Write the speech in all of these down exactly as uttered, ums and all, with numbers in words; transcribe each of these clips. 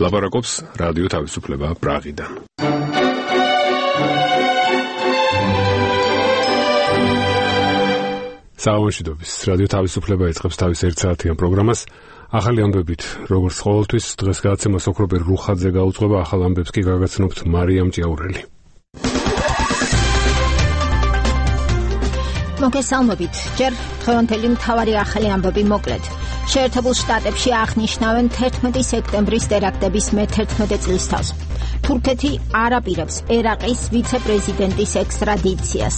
ლაპარაკობს რადიო თავისუფლება პრაღიდან. საუბრობთ რადიო თავისუფლება იწყებს თავის ერთ საათიან პროგრამას. ახალი ამბებით, როგორც ყოველთვის, დღეს გადაცემას ოქრობერ რუხაძე გაუძღვება, ახალ ამბებს კი გაგაცნობთ მარიამ ჭიაურელი. მოგესალმებით. ჯერ დღევანდელი მთავარი ახალი ამბები მოკლედ. შეერთებულ შტატებში აღნიშნავენ თერთმეტი სექტემბრის ტერაქტების მეთერთმეტე წლისთავს. თურქეთი არ აპირებს ერაყის ვიცე-პრეზიდენტის ექსტრადიციას.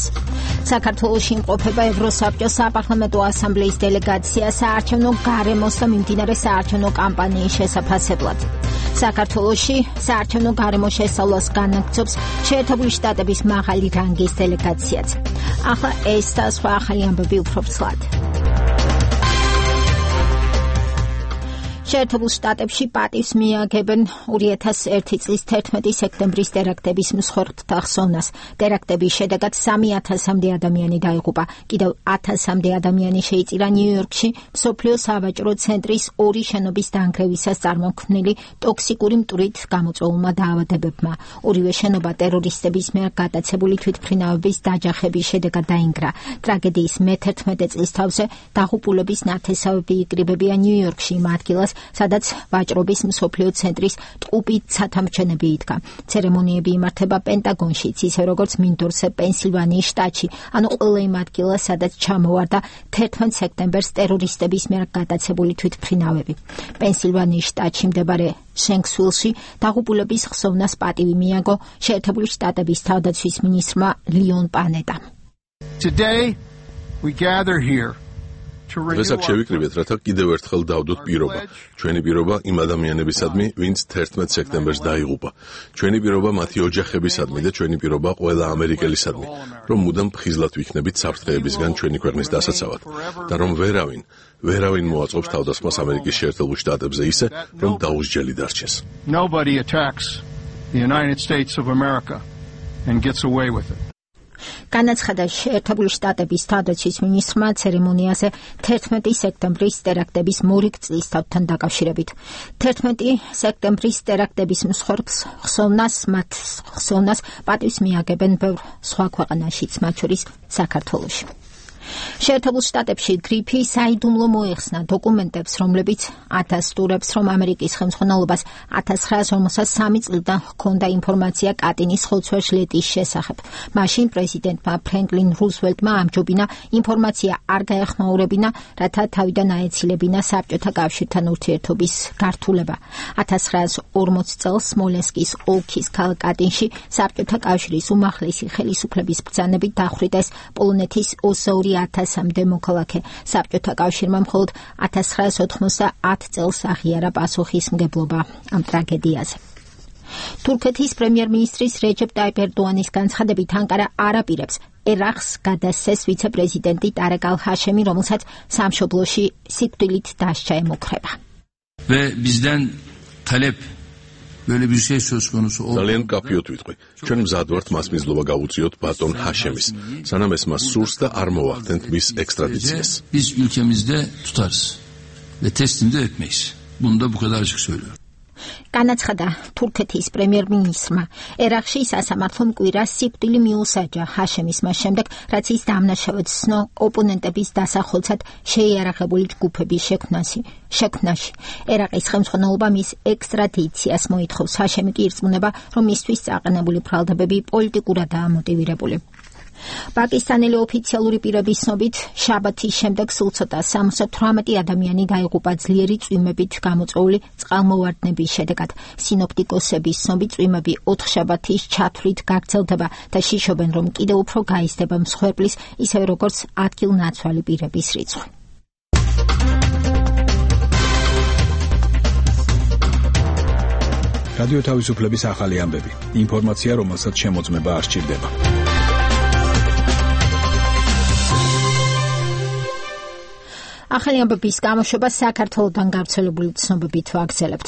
საქართველოში იმყოფება ევროსაბჭოს საპარლამენტო ასამბლეის დელეგაცია საარჩევნო გარემოს და მიმდინარე საარჩევნო კამპანიის შესაფასებლად. საქართველოში საარჩევნო გარემოს შესწავლას განაგრძობს შეერთებული შტატების მაღალი რანგის დელეგაციაც. ახლა ეს და სხვა ახალი ამბები უფრო ვრცლად. შეერთებულ შტატებში პატივს მიაგებენ ორი ათას ერთი წლის თერთმეტი სექტემბრის ტერაქტების მსხვერპლთა ხსოვნას. ტერაქტების შედეგად სამი ათასამდე ადამიანი დაიღუპა. კიდევ ათასამდე ადამიანი შეიწირა ნიუ-იორკში მსოფლიო სავაჭრო ცენტრის ორი შენობის დანგრევისას წარმოქმნილი ტოქსიკური მტვრით გამოწვეულმა დაავადებებმა. ორივე შენობა ტერორისტების მიერ გადაცებული თვითმფრინავების დაჯახების შედეგად დაინგრა. ტრაგედიის მეთერთმეტე წლის თავზე დაღუპულების ნათესავები იკრიბებიან ნიუ-იორკში იმ ადგილას, სადაც ვაჭრობის მსოფლიო ცენტრის ტყუპით სათამჩენები იდგა. ცერემონიები იმართება პენტაგონშიც, ისე როგორც მინდორზე პენსილვანიის შტატში, ანუ ყველა იმ ადგილას, სადაც ჩამოვარდა თერთმეტ სექტემბერს ტერორისტების მიერ გადაცებული თვითმფრინავები. პენსილვანიის შტატში მდებარე შენქსვილში დაღუპულების ხსოვნას პატივი მიაგო შეერთებული შტატების თავდაცვის მინისტრმა ლიონ პანეტამ. Today we gather here დღეს აქ შევიკრიბეთ, რათა კიდევ ერთხელ დავდოთ პირობა. ჩვენი პირობა იმ ადამიანებისადმი, ვინც თერთმეტ სექტემბერს დაიღუპა. ჩვენი პირობა მათი ოჯახებისადმი და ჩვენი პირობა ყველა ამერიკელისადმი, რომ მუდამ ფხიზლად ვიქნებით საფრთხეებისგან ჩვენი ქვეყნის დასაცავად და რომ ვერავინ, ვერავინ მოაწყობს თავდასხმას ამერიკის შეერთებულ შტატებზე ისე, რომ დაუსჯელი დარჩეს. Nobody attacks the United States of America and gets away with it. განაცხადა შეერთებული შტატების თავდაცვის მინისტრმა ცერემონიაზე თერთმეტი სექტემბრის ტერაქტების მორიგ წლისთავთან დაკავშირებით. თერთმეტი სექტემბრის ტერაქტების მსხვერპლს ხსოვნას მათ ხსოვნას პატივს მიაგებენ ბევრ სხვა ქვეყანაშიც, მათ შორის საქართველოში. შეერთებულ შტატებში გრიფი საიდუმლო მოეხსნა დოკუმენტებს, რომლებიც ათასტურებს, რომ ამერიკის ხელმძღვანელობას ათას ცხრაას ორმოცდაათი სამი წლიდან ჰქონდა ინფორმაცია კატინის ხოცვა-ჟლეტის შესახებ. მაშინ პრეზიდენტმა ფრენკლინ რუზველტმა ამჯობინა ინფორმაცია არ გაეხმაურებინა, რათა თავიდან აეცილებინა საბჭოთა კავშირთან ურთიერთობის გართულება. ათას ცხრაას ორმოცდ წელს სმოლენსკის ოლქის ქალაქ კატინში საბჭოთა კავშირის უმაღლესი ხელისუფლების ბრძანებით დახვრიტეს პოლონეთის ოცდაორი ათასამდე მოქალაქე. საბჭოთა კავშირმა მხოლოდ ათას ცხრაას ოთხმოცდაათ წელს აღიარა პასუხისმგებლობა ამ ტრაგედიაზე. თურქეთის პრემიერ-მინისტრის რეჯეპ ტაიპ ერდოანის განცხადებით ანკარა არ აპირებს ერაყს გადასცეს ვიცე-პრეზიდენტი ტარეკ ალ-ჰაშემი, რომელსაც სამშობლოში სიკვდილით დასჯა ემუქრება. Ve bizden talep böyle bir şey söz konusu oldu. ძალიან კაფიოთ ვიტყვი. ჩვენ მზად ვართ მას მიზლობა გავუწიოთ ბატონ ჰაშემის, სანამ ეს მას სურს და არ მოვახდენთ მის ექსტრადიციას. Biz ülkemizde tutarız ve teslim de etmeyiz. Bunu da bu kadar açık söylüyorum. განაცხადა თურქეთის პრემიერ-მინისტრმა. ერაყში სასამართლომ კვირას სიკვდილი მიუსაჯა ჰაშემის მას შემდეგ, რაც ის დამნაშავედ ცნო ოპონენტების დასახელცად შეიარაღებული ჯგუფების შექმნაში. შექმნაში. ერაყის ხელმძღვანელობა მის ექსტრადიციას მოითხოვს. ჰაშემი კი ირწმუნება, რომ მისთვის წაყენებული ბრალდებები პოლიტიკურადაა მოტივირებული. პაკისტანელი ოფიციალური პირების ცნობით, შაბათის შემდეგ სულ ცოტა სამოცდათვრამეტი ადამიანი დაიღუპა ძლიერი წვიმებით გამოწვეული წყალმოვარდნების შედეგად. სინოპტიკოსების ცნობით, წვიმები ოთხშაბათის ჩათვლით გაგრძელდება და შიშობენ, რომ კიდევ უფრო გაიზრდება მსხვერპლის, ისევე როგორც ადგილნაცვალი პირების რიცხვი. რადიო თავისუფლების ახალი ამბები. ინფორმაცია, რომელსაც შემოწმება არ სჭირდება. ახალი ამბების გამოშვება საქართველოდან გავრცელებული ცნობებით ვაგრძელებთ.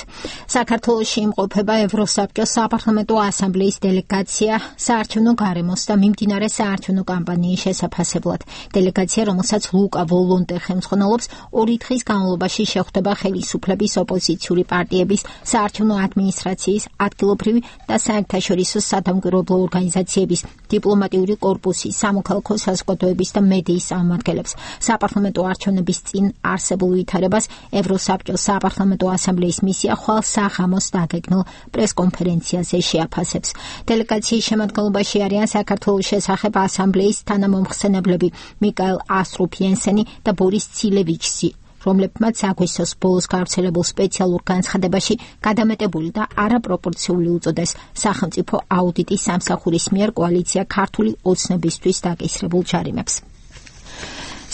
საქართველოში იმყოფება ევროსაბჭოს საპარლამენტო ასამბლეის დელეგაცია საარჩევნო გარემოს და მიმდინარე საარჩევნო კამპანიის შესაფასებლად. დელეგაცია, რომელსაც ლუკა ვოლონტე ხელმძღვანელობს, ორი დღის განმავლობაში შეხვდება ხელისუფლების ოპოზიციური პარტიების, საარჩევნო ადმინისტრაციის, ადგილობრივი და საერთაშორისო სადამკვირვებლო ორგანიზაციების, დიპლომატიური კორპუსის, სამოქალაქო საზოგადოების და მედიის წარმომადგენლებს. საპარლამენტო არჩევნების წინ არსებულ ვითარებას ევროსაბჭოს საპარლამენტო ასამბლეის მისია ხვალ საღამოს დაგეგმილ პრესკონფერენციაზე შეაფასებს. დელეგაციის შემადგენლობაში არიან საქართველოს შესახებ ასამბლეის თანამომხსენებლები მიკაელ ასტროფიენსენი და ბორის ცილევიჩი, რომლებმაც აგვისტოს ბოლოს გავრცელებულ სპეციალურ განცხადებაში გადამეტებული და არაპროპორციული უწოდეს სახელმწიფო აუდიტის სამსახურის მიერ კოალიცია ქართული ოცნებისთვის დაკისრებულ ჯარიმებს.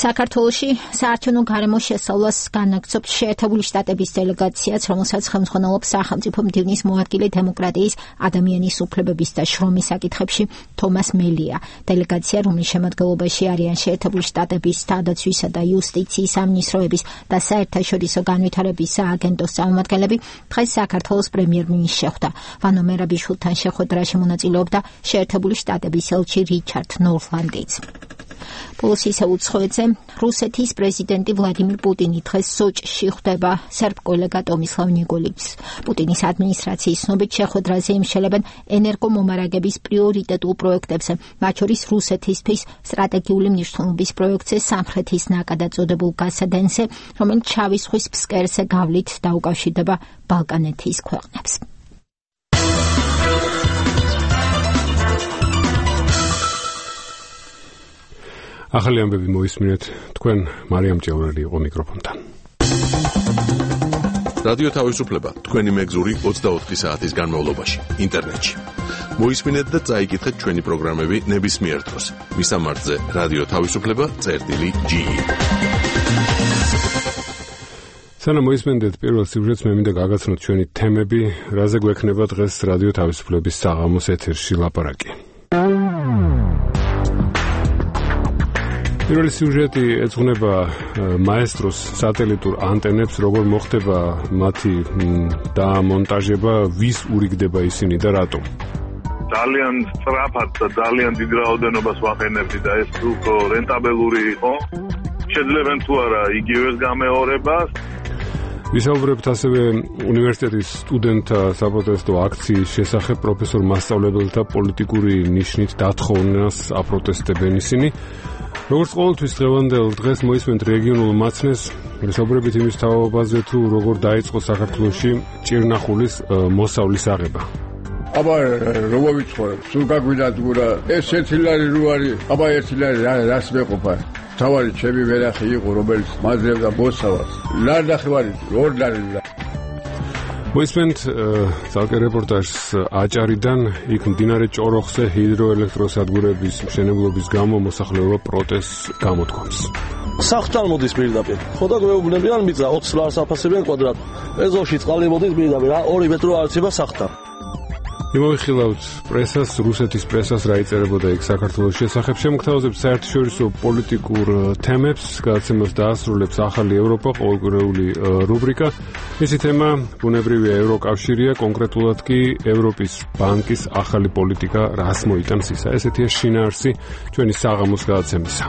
საქართველოში საარჩევნო გარემოს შესწავლას განაგრძობს შეერთებული შტატების დელეგაციაც, რომელსაც ხელმძღვანელობს სახელმწიფო მდივნის მოადგილე დემოკრატიის, ადამიანის უფლებების და შრომის საკითხებში თომას მელია. დელეგაცია, რომლის შემადგენლობაში არიან შეერთებული შტატების თავდაცვისა და იუსტიციის სამინისტროების და საერთაშორისო განვითარების სააგენტოს წარმომადგენლები, დღეს საქართველოს პრემიერ-მინისტრს შეხვდა. ვანო მერაბიშვილთან შეხვედრაში მონაწილეობდა შეერთებული შტატების ელჩი რიჩარდ ნორლანდიც. ბოლოს ისე უცხოეთზე რუსეთის პრეზიდენტი ვლადიმირ პუტინი დღეს სოჭში ხვდება სერბ კოლეგა ტომისლავ ნიკოლიჩს. პუტინის ადმინისტრაციის ცნობით შეხვედრაზე იმშელებენ ენერგომომარაგების პრიორიტეტულ პროექტებზე, მათ შორის რუსეთისთვის სტრატეგიული მნიშვნელობის პროექტზე სამხრეთის ნაკადად წოდებულ გასადენზე, რომელიც შავი ზღვის ფსკერზე გავლით დაუკავშირდება ბალკანეთის ქვეყნებს. ახალი ამბები მოისმინეთ, თქვენ მარიამ ჭეურელი იყო მიკროფონთან. რადიო თავისუფლება თქვენი მეგზური ოცდაოთხი საათის განმავლობაში ინტერნეტში. მოისმინეთ და წაიკითხეთ ჩვენი პროგრამები ნებისმიერ დროს. მისამართზე რადიო თავისუფლება წერტილი ჯი. სანამ მოისმენდეთ პირველ სიუჟეტს, მე მინდა გაგაცნოთ ჩვენი თემები, რაზე გვექნება დღეს რადიო თავისუფლების საღამოს ეთერში ლაპარაკი. პირველი სიუჟეტი ეძღვნება მაესტროს სატელიტურ ანტენებს, როგორ მოხდება მათი დამონტაჟება, ვის ურიგდება ისინი და რატომ. ძალიან სწრაფად და ძალიან დიდ რაოდენობას ვახენებდი და ეს უფრო რენტაბელური იყო. შეძლებენ თუ არა იგივეს გამეორებას. ვისაუბრებთ ასევე უნივერსიტეტის სტუდენტთა საპროტესტო აქციის შესახებ, პროფესორ მასწავლებელთა პოლიტიკური ნიშნით დათხოვნას აპროტესტებენ ისინი. როგორც ყოველთვის დღევანდელ დღეს მოისმენთ რეგიონულ მაცნეს, ვისაუბრებით იმის თაობაზე, თუ როგორ დაიწყო საქართველოში ჭირნახულის მოსავლის აღება. აბა როგორ ვიცხოვრებ, სულ გაგვიდათ გურა, ეს ერთი ლარი რო არის, აბა ერთი ლარი რას მეყოფა. თავარი ჩემი ვერახი იყო, რომელიც მაძლევდა მოსავალს. ლარი ნახევარი, ორ ლარი. მოისმენთ ძალკე რეპორტაჟს აჭარიდან, იქ მდინარე ჭოროხზე ჰიდროელექტროსადგურების მშენებლობის გამო მოსახლეობა პროტესტს გამოთქვამს. სახლთან მოდის პირდაპირ. ხო და გვეუბნებიან მიწა ოცი ლარს აფასებენ კვადრატ. ეზოში წყალი მოდის პირდაპირ, ორი მეტრო არცება სახლთან. იმოვიხილავთ პრესას, რუსეთის პრესას, რა იწერებოდა იქ საქართველოს შესახებ. შემოგთავაზებთ საერთაშორისო პოლიტიკურ თემებს, გადაცემას დაასრულებს ახალი ევროპა, ყოველკვირეული რუბრიკა. მისი თემა ბუნებრივია ევროკავშირია, კონკრეტულად კი ევროპის ბანკის ახალი პოლიტიკა რას მოიტანს ისა. ესეთია შინაარსი ჩვენი საღამოს გადაცემისა.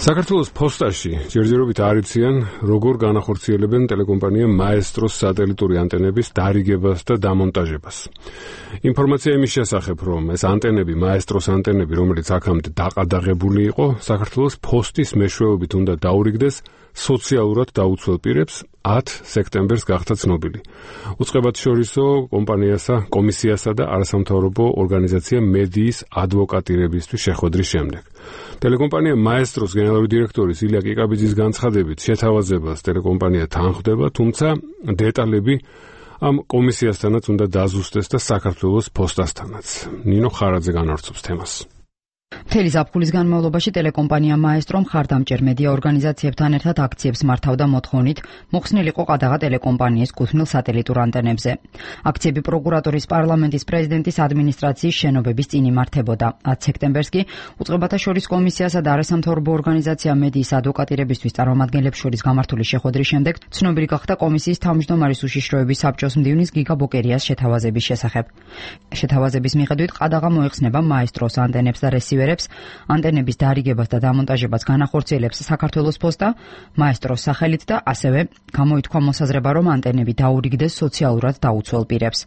საქართველოს ფოსტაში ჯერჯერობით არ იციან, როგორ განახორციელებენ ტელეკომპანია მაესტროს სატელიტური ანტენების დარიგებას და დამონტაჟებას. ინფორმაცია იმის შესახებ, რომ ეს ანტენები, მაესტროს ანტენები, რომელიც აქამდე დაყადაღებული იყო, საქართველოს ფოსტის მეშვეობით უნდა დაურიგდეს სოციალურად დაუცველ პირებს ათ სექტემბერს გახდა ცნობილი. უწყებათ შორისო კომპანიასა, კომისიასა და არასამთავრობო ორგანიზაცია მედიის ადვოკატირებისთვის შეხვედრის შემდეგ. ტელეკომპანია მაესტროს გენერალური დირექტორის ილია კიკაბიძის განცხადებით შეთავაზებას ტელეკომპანია თანხდება, თუმცა დეტალები ამ კომისიასთანაც უნდა დაზუსტდეს და საქართველოს ფოსტასთანაც. ნინო ხარაძე განავრცობს თემას. მთელი ზაფხულის განმავლობაში ტელეკომპანია მაესტრო მხარდამჭერ მედია ორგანიზაციებთან ერთად აქციებს მართავდა მოთხოვნით მოხსნილიყო ყადაღა ტელეკომპანიის კუთვნილ სატელიტურ ანტენებზე. აქციები პროკურატურის, პარლამენტის, პრეზიდენტის ადმინისტრაციის შენობების წინ იმართებოდა. ათი სექტემბერს კი უწყებათა შორის კომისიასა და არასამთავრობო ორგანიზაცია მედიის ადვოკატირებისთვის წარმომადგენლებს შორის გამართული შეხვედრის შემდეგ ცნობილი გახდა კომისიის თავმჯდომარის უშიშროების საბჭოს მდივნის გიგა ბოკერიას შეთავაზების შესახებ. შეთავაზების მიხედვით ყადაღა მოეხსნება მაესტროს ანტენებს და რესივერებს, ანტენების დარიგებას და დამონტაჟებას განახორციელებს საქართველოს პოსტა მაესტროს სახელით და ასევე გამოითქვა მოსაზრება, რომ ანტენები დაურიგდეს სოციალურად დაუცველ პირებს.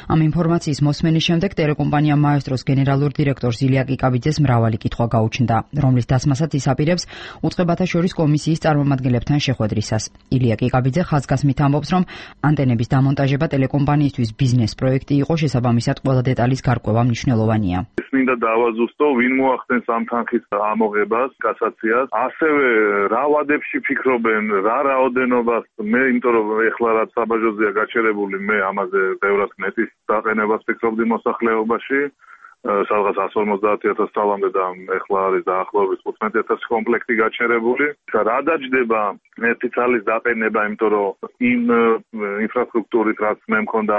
ამ ინფორმაციის მოსმენის შემდეგ ტელეკომპანია მაესტროს გენერალურ დირექტორს ილია კიკაბიძეს მრავალი კითხვა გაუჩნდა, რომლის დასმასაც ის აპირებს უწყებათა შორის კომისიის წარმომადგენლებთან შეხვედრისას. ილია კიკაბიძე ხაზგასმით ამბობს, რომ ანტენების დამონტაჟება ტელეკომპანიისთვის ბიზნეს პროექტი იყო, შესაბამისად ყველა დეტალის გარკვევა მნიშვნელოვანია. მინდა დავაზუსტო, ვინ მოახდენს ამ თანხის ამოღებას, კასაციას, ასევე რა ვადებში ფიქრობენ, რა რაოდენობას, მე იმიტომ რომ ეხლა რაც საბაჟოზეა გაჩერებული, მე ამაზე ბევრად ნეტის დაყენებას ფიქრობდი მოსახლეობაში, სადღაც εκατს ორმოცდაათი ათასი წლამდე და ეხლა არის დაახლოებით თხუთმეტი ათასი კომპლექტი გაჩერებული. რა დაჯდება ერთი წლის დაყენება, იმიტომ რომ იმ ინფრასტრუქტურით, რაც მე მქონდა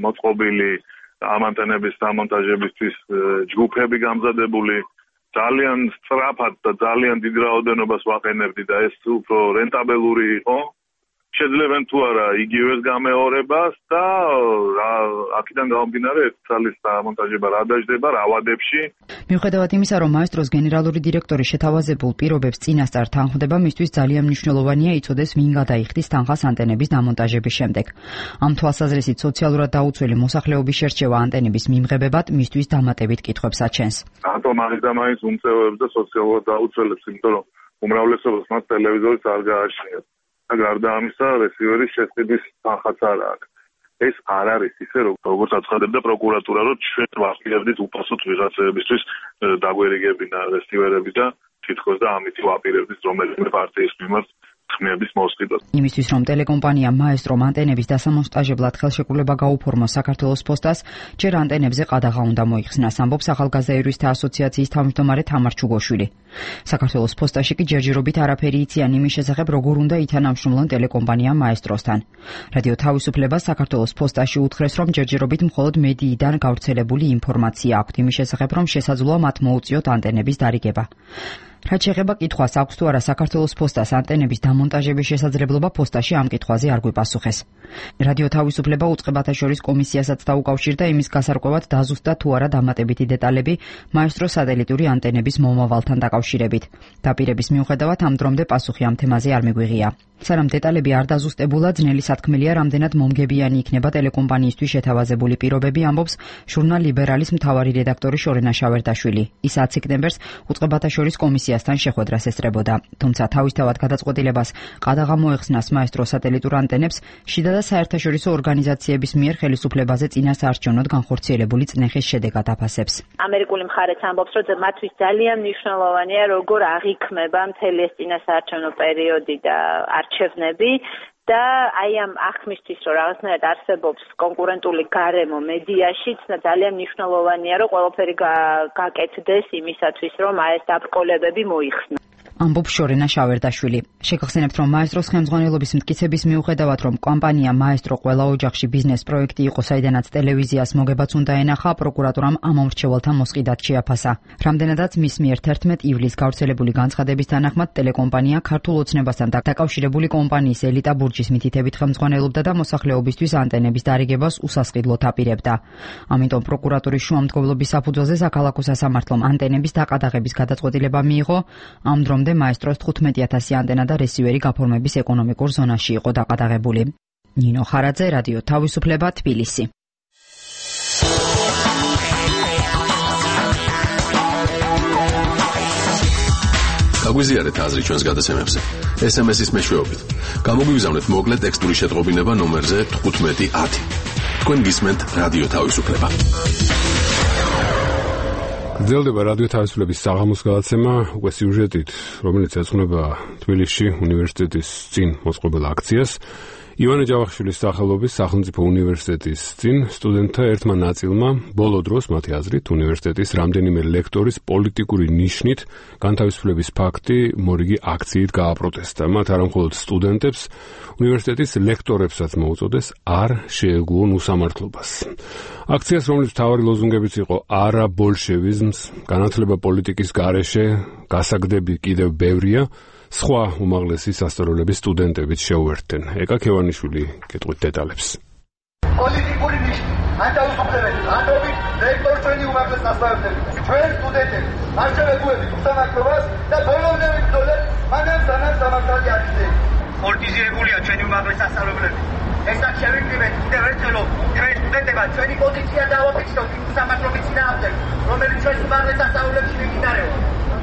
მოწყობილი ამ ანტენების დამონტაჟებისთვის ჯგუფები გამზადებული, ძალიან სწრაფად და ძალიან დიდ რაოდენობას ვაყენებდი და ეს უფრო რენტაბელური იყო. შეძლებენ თუ არა იგივეს გამეორებას და აქედან გამომდინარე ერთ წლის დამონტაჟება რა დაждდება რა ვადებში. მიუხედავად იმისა, რომ მაესტროს გენერალური დირექტორი შეთავაზებულ პირობებს წინასწარ თანხმდება, მისთვის ძალიან მნიშვნელოვანია იცოდეს, ვინ გადაიხდის თანხას ანტენების დამონტაჟების შემდეგ. ამ თვალსაზრისით სოციალურად დაუცველი მოსახლეობის შერჩევა ანტენების მიმღებებად მისთვის დამატებით კითხვებს აჩენს. რატომ არის და მაინც უმწევებს და სოციალურად დაუცველებს, იმიტომ რომ უმრავლესობას მათ ტელევიზორიც არ გააჩნიათ. გარდა ამისა, რესივერის შესყიდვის თანხაც არ აქვს. ეს არ არის ისე, როგორც აცხადებდა პროკურატურა, რომ ჩვენ ვაპირებდით უპასუხოდ ვიღაცებისთვის დაგვერიგებინა რესივერები და თითქოს და ამით ვაპირებდით რომელიმე პარტიის მიმართ ხმების მოსყიდვას. იმისთვის, რომ ტელეკომპანია მაესტრომ ანტენების დასამონტაჟებლად ხელშეკრულება გაუფორმოს საქართველოს პოსტას, ჯერ ანტენებზე ყადაღა უნდა მოიხსნას, ამბობს ახალგაზრდა იურისტთა ასოციაციის თავმჯდომარე თამარ ჩუგოშვილი. საქართველოს პოსტაში კი ჯერჯერობით არაფერი იციან იმის შესახებ, როგორ უნდა ითანამშრომლონ ტელეკომპანია მაესტროსთან. რადიო თავისუფლებას საქართველოს პოსტაში უთხრეს, რომ ჯერჯერობით მხოლოდ მედიიდან გავრცელებული ინფორმაცია აქვთ იმის შესახებ, რომ შესაძლოა მათ მოუწიოთ ანტენების დარიგება. რაც შეეხება კითხვას, აქვს თუ არა საქართველოს პოსტას ანტენების დამონტაჟების შესაძლებლობა, პოსტაში ამ კითხვაზე არ გვიპასუხეს. რადიო თავისუფლება უწყებათა შორის კომისიასაც დაუკავშირდა იმის გასარკვევად დაზუსტდა თუ არა დამატებითი დეტალები მაესტროს სატელიტური ანტენების მომავალთან დაკავშირებით. დაპირების მიუხედავად ამ დრომდე პასუხი ამ თემაზე არ მიგვიღია. სანამ დეტალები არ დაზუსტებულა, ძნელი სათქმელია, რამდენად მომგებიანი იქნება ტელეკომპანიისთვის შეთავაზებული პირობები, ამბობს ჟურნალ ლიბერალის მთავარი რედაქტორი შორენა შავერდაშვილი. ის ათი სექტემბერს უწყებათა შორის კომისიასთან შეხვედრას ესწრებოდა. თუმცა თავისთავად გადაწყვეტილებას ყადაღა მოეხსნას მაესტროს სატელიტურ ანტენებს შიდა და საერთაშორისო ორგანიზაციების მიერ ხელისუფლებაზე წინასაარჩევნოდ განხორციელებული წნეხის შედეგად აფასებს. ამერიკული მხარეც ამბობს, რომ მათთვის ძალიან მნიშვნელოვანია, როგორ აღიქმება მთელი ეს წინასაარჩევნო პერიოდი და არჩევნები და აი ამ აღქმისთვის, რომ რაღაცნაირად არსებობს კონკურენტული გარემო მედიაში, ძალიან მნიშვნელოვანია, რომ ყველაფერი გაკეთდეს იმისათვის, რომ აი ეს დაბრკოლებები მოიხსნას. ამბობს შორენა შავერდაშვილი. შეგახსენებთ, რომ მაესტროს ხელმძღვანელობის მტკიცების მიუხედავად, რომ კომპანია მაესტრო ყველა ოჯახში ბიზნეს პროექტი იყო, საიდანაც ტელევიზიას მოგებაც უნდა ენახა, პროკურატურამ ამ მომრჩეველთა მოსყიდად შეაფასა. რამდენადაც მის მიერ თერთმეტი ივლისს გავრცელებული განცხადების თანახმად ტელეკომპანია ქართულ ოცნებასთან დაკავშირებული კომპანიის ელიტა ბურჯის მითითებით ხელმძღვანელობდა და მოსახლეობისთვის ანტენების დარიგებას უსასყიდლოდ აპირებდა. ამიტომ პროკურატურის შუამდგომლობის საფუძველზე საქალაქო სასამართლომ ანტენების დაყადაღების გადაწყვეტილება მიიღო. ამ დრომდე მაესტროს თხუთმეტი ათასი ანტენა და რესივერი გაფორმების ეკონომიკურ ზონაში იყო დაყადაღებული. ნინო ხარაძე, რადიო თავისუფლება, თბილისი. გაგვიზიარეთ აზრი ჩვენს გადაცემებზე. ეს ემ ეს-ის მეშვეობით. გამოგვიგზავნეთ მოკლე ტექსტური შეტყობინება ნომერზე თხუთმეტი ათი. თქვენ გისმენთ რადიო თავისუფლება. გრძელდება რადიო თავისუფლების საღამოს გადაცემა, უკვე სიუჟეტით, რომელიც ეძღვნება თბილისში უნივერსიტეტის წინ მოწყობილ აქციას. ივანე ჯავახიშვილის სახელობის სახელმწიფო უნივერსიტეტის წინ სტუდენტთა ერთმა ნაწილმა ბოლო დროს მათი აზრით უნივერსიტეტის რამდენიმე ლექტორის პოლიტიკური ნიშნით განთავისუფლების ფაქტი მორიგი აქციით გააპროტესტა. მათ არამხოლოდ სტუდენტებს, უნივერსიტეტის ლექტორებსაც მოუწოდეს არ შეეგუონ უსამართლობას. აქციას, რომლის მთავარი ლოზუნგებიც იყო არა ბოლშევიზმს, განათლება პოლიტიკის გარეშე, გასაგდები კიდევ ბევრია, სხვა უმაღლესი სასწავლებლების სტუდენტებიც შეუერთდნენ. ეკა ქევანიშვილი კითხვის დეტალებს. პოლიტიკური ნიშნი, ანტაუსაფრთხოების, ანდობით ლექტორი ჩვენი უმაღლესი სასწავლებლები, ჩვენ სტუდენტები, არჩევებუებით უსამართლობას და ბოლომდე ვიბრძოლეთ, მანამ სანამ სამართალი აღიძრეს. პოლიტიზირებულია ჩვენი უმაღლესი სასწავლებლები. ესაც შევიკრიბეთ კიდევ ერთხელ, ჩვენ სტუდენტებად ჩვენი პოზიცია დავაფიქსიროთ იმ უსამართლობის წინააღმდეგ, რომელიც ჩვენს უმაღლეს სასწავლებლებში მიმდინარეობს.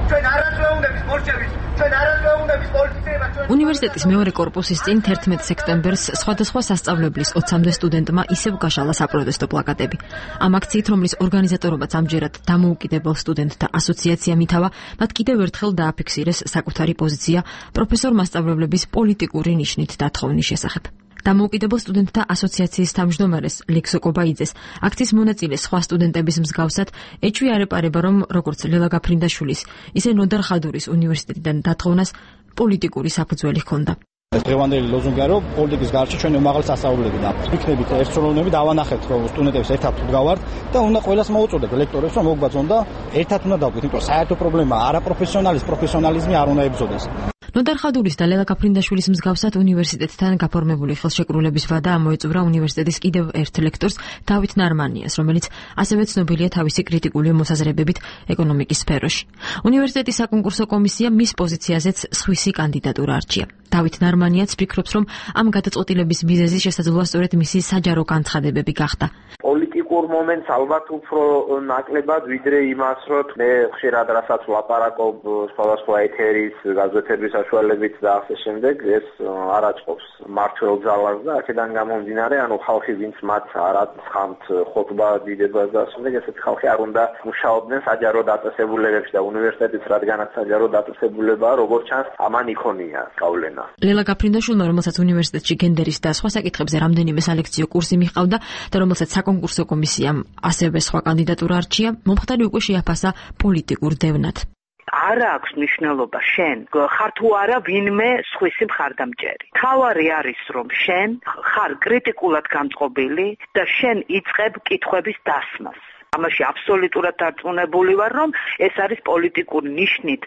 ჩვენ არასვეუნდების ბოლშევის უნივერსიტეტის მეორე კორპუსის წინ თერთმეტ სექტემბერს სხვადასხვა სასწავლებლის ოცამდე სტუდენტმა ისევ გაშალა საპროტესტო პლაკატები. ამ აქციით, რომლის ორგანიზატორობაც ამჯერად დამოუკიდებელ სტუდენტთა ასოციაციამ ითავა, მათ კიდევ ერთხელ დააფიქსირეს საკუთარი პოზიცია პროფესორ მასწავლებლების პოლიტიკური ნიშნით დათხოვნის შესახებ. დამოუკიდებელ სტუდენტთა ასოციაციის თავმჯდომარეს ლექსო კობაიძეს აქციის მონაწილე სხვა სტუდენტების მსგავსად ეჭვი არ ეპარება, რომ როგორც ლელა გაფრინდაშვილის, ისე ნოდარ ხადურის უნივერსიტეტიდან დათხოვნას პოლიტიკური საფუძველი ჰქონდა. ეს დღევანდელი ლოზუნგია, რომ პოლიტიკის გარშე ჩვენ უმაღლეს სასწავლებლები და იქნებით ერთსრულოვნები დავანახეთ, რომ სტუდენტებს ერთად ვდგავართ და უნდა ყველას მოუწოდეთ ლექტორებს, რომ მოგვბაძონ და ერთად უნდა დავყვეთ, იმიტომ რომ საერთო პრობლემა არაპროფესიონალის პროფესიონალიზმი არ უნდა ებრძოდეს. ნოდარ ხადურის და ლელა გაფრინდაშვილის მსგავსად უნივერსიტეტთან გაფორმებული ხელშეკრულების ვადა ამოეწურა უნივერსიტეტის კიდევ ერთ ლექტორს დავით ნარმანიას, რომელიც ასევე ცნობილია თავისი კრიტიკული მოსაზრებებით ეკონომიკის სფეროში. უნივერსიტეტის საკონკურსო კომისია მის პოზიციაზეც სხვისი კანდიდატურა არჩია. დავით ნარმანიაც ფიქრობს, რომ ამ გადაწყვეტილების მიზეზი შესაძლოა სწორედ მისი საჯარო განცხადებები გახდა. პოლიტიკურ მომენტს ალბათ უფრო ნაკლებად ვიდრე იმას, რომ მე ხშირად რასაც ვლაპარაკობ სხვადასხვა ეთერის გაზეთების საშუალებით და ასე შემდეგ, ეს არ აწყობს მართლ ძალას და აქედან გამომდინარე, ანუ ხალხი ვინც მათ არ აცხამთ ხოტბა დიდებას და ასე შემდეგ, ესეთი ხალხი არ უნდა მუშაობდნენ საჯარო დაწესებულებებში და უნივერსიტეტის რადგანაც საჯარო დაწესებულებაა, როგორც ჩანს, ამან იქონია სწავლენა. ლელა გაფრინდაშვილმა, რომელსაც უნივერსიტეტში გენდერის და სხვა საკითხებზე რამდენიმე სალექციო კურსი მიჰყავდა და რომელსაც საკონკურსო კომისიამ ასევე სხვა კანდიდატურა არჩია, მომხდარი უკვე შეაფასა პოლიტიკურ დევნად. არა აქვს მნიშვნელობა შენ ხარ თუ არა ვინმე სხვისი მხარდამჭერი. თავარი არის რომ შენ ხარ კრიტიკულად განწყობილი და შენ იწყებ კითხვების დასმას. ამაში აბსოლუტურად დარწმუნებული ვარ, რომ ეს არის პოლიტიკური ნიშნით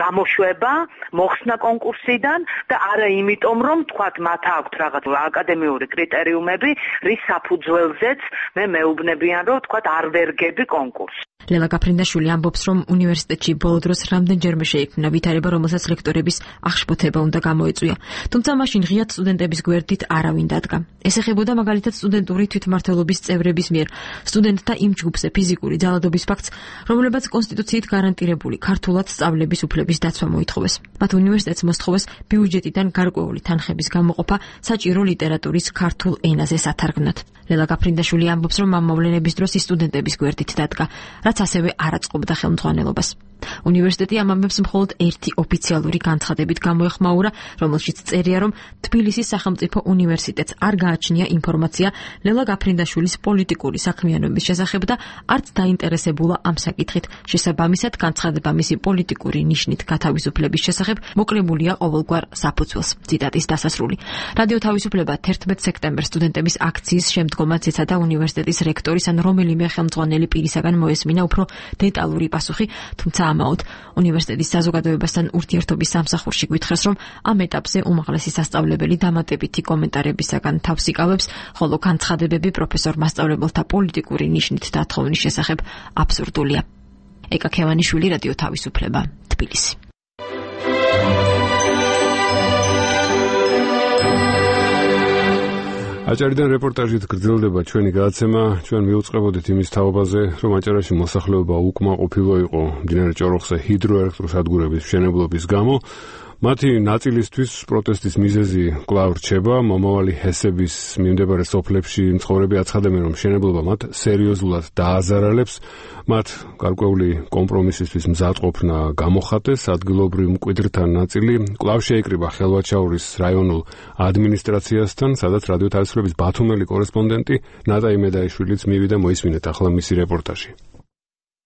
გამოშვება მოხსნა კონკურსიდან და არა იმიტომ, რომ თქვათ მათ აქვთ რაღაც აკადემიური კრიტერიუმები, რის საფუძველზეც მე მეუბნებიან, რომ თქვათ არ ვერგები კონკურსს. ლელა გაფრინდაშვილი ამბობს, რომ უნივერსიტეტში ბოლო დროს რამდენჯერმე შეიქმნა ვითარება, რომელსაც ლექტორების აღშფოთება უნდა გამოეწვია. თუმცა მაშინ ღიად სტუდენტების გვერდით არავინ დადგა. ეს ეხებოდა მაგალითად სტუდენტური თვითმმართველობის წევრების მიერ სტუდენტთა იმ ჯგუფზე ფიზიკური ძალადობის ფაქტს, რომლებაც კონსტიტუციით გარანტირებული ქართულად სწავლების უფლების დაცვა მოითხოვეს. მათ უნივერსიტეტს მოსთხოვეს ბიუჯეტიდან გარკვეული თანხების გამოყოფა საჭირო ლიტერატურის ქართულ ენაზე სათარგმნად. ლელა გაფრინდაშვილი ამბობს, რომ ამ მოვლენების დროს ის სტუდენტების გვერდით დადგა, რაც ასევე არ აწყობდა ხელმძღვანელობას. უნივერსიტეტი ამ ამბებს მხოლოდ ერთი ოფიციალური განცხადებით გამოეხმაურა, რომელშიც წერია, რომ თბილისის სახელმწიფო უნივერსიტეტს არ გააჩნია ინფორმაცია ლელა გაფრინდაშვილის პოლიტიკური საქმიანობის შესახებ და არც დაინტერესებულა ამ საკითხით. შესაბამისად, განცხადება მისი პოლიტიკური ნიშნით გათავისუფლების შესახებ მოკლებულია ყოველგვარ საფუძველს. ციტატის დასასრული. რადიო თავისუფლება თერთმეტ სექტემბერს სტუდენტების აქციის შემდგომაც ეცადა უნივერსიტეტის რექტორის ან რომელიმე ხელმძღვანელი პირისაგან მოესმინა უფრო დეტალური პასუხი, თუმცა ამაოდ უნივერსიტეტის საზოგადოებასთან ურთიერთობის სამსახურში გვითხრეს, რომ ამ ეტაპზე უმაღლესი სასწავლებელი დამატებითი კომენტარებისაგან თავს იკავებს, ხოლო განცხადებები პროფესორ მასწავლებელთა პოლიტიკური ნიშნით დათხოვნის შესახებ აბსურდულია. ეკა ქევანიშვილი, რადიო თავისუფლება, თბილისი. აჭარიდან რეპორტაჟით გრძელდება ჩვენი გადაცემა. ჩვენ მივუწყებოდით იმის თაობაზე, რომ აჭარაში მოსახლეობა უკმაყოფილო იყო მდინარე ჭოროხზე ჰიდროელექტროსადგურების მშენებლობის გამო. მათი ნაწილისთვის პროტესტის მიზეზი კვლავ რჩება. მომავალი ჰესების მიმდებარე სოფლებში მცხოვრები აცხადებენ, რომ მშენებლობა მათ სერიოზულად დააზარალებს. მათ გარკვეული კომპრომისისთვის მზადყოფნა გამოხატეს. ადგილობრივ მკვიდრთა ნაწილი კვლავ შეიკრიბა ხელვაჩაურის რაიონულ ადმინისტრაციასთან, სადაც რადიო თავისუფლების ბათუმელი კორესპონდენტი ნატა იმედაიშვილიც მივიდა. მოისმინეთ ახლა მისი რეპორტაჟი.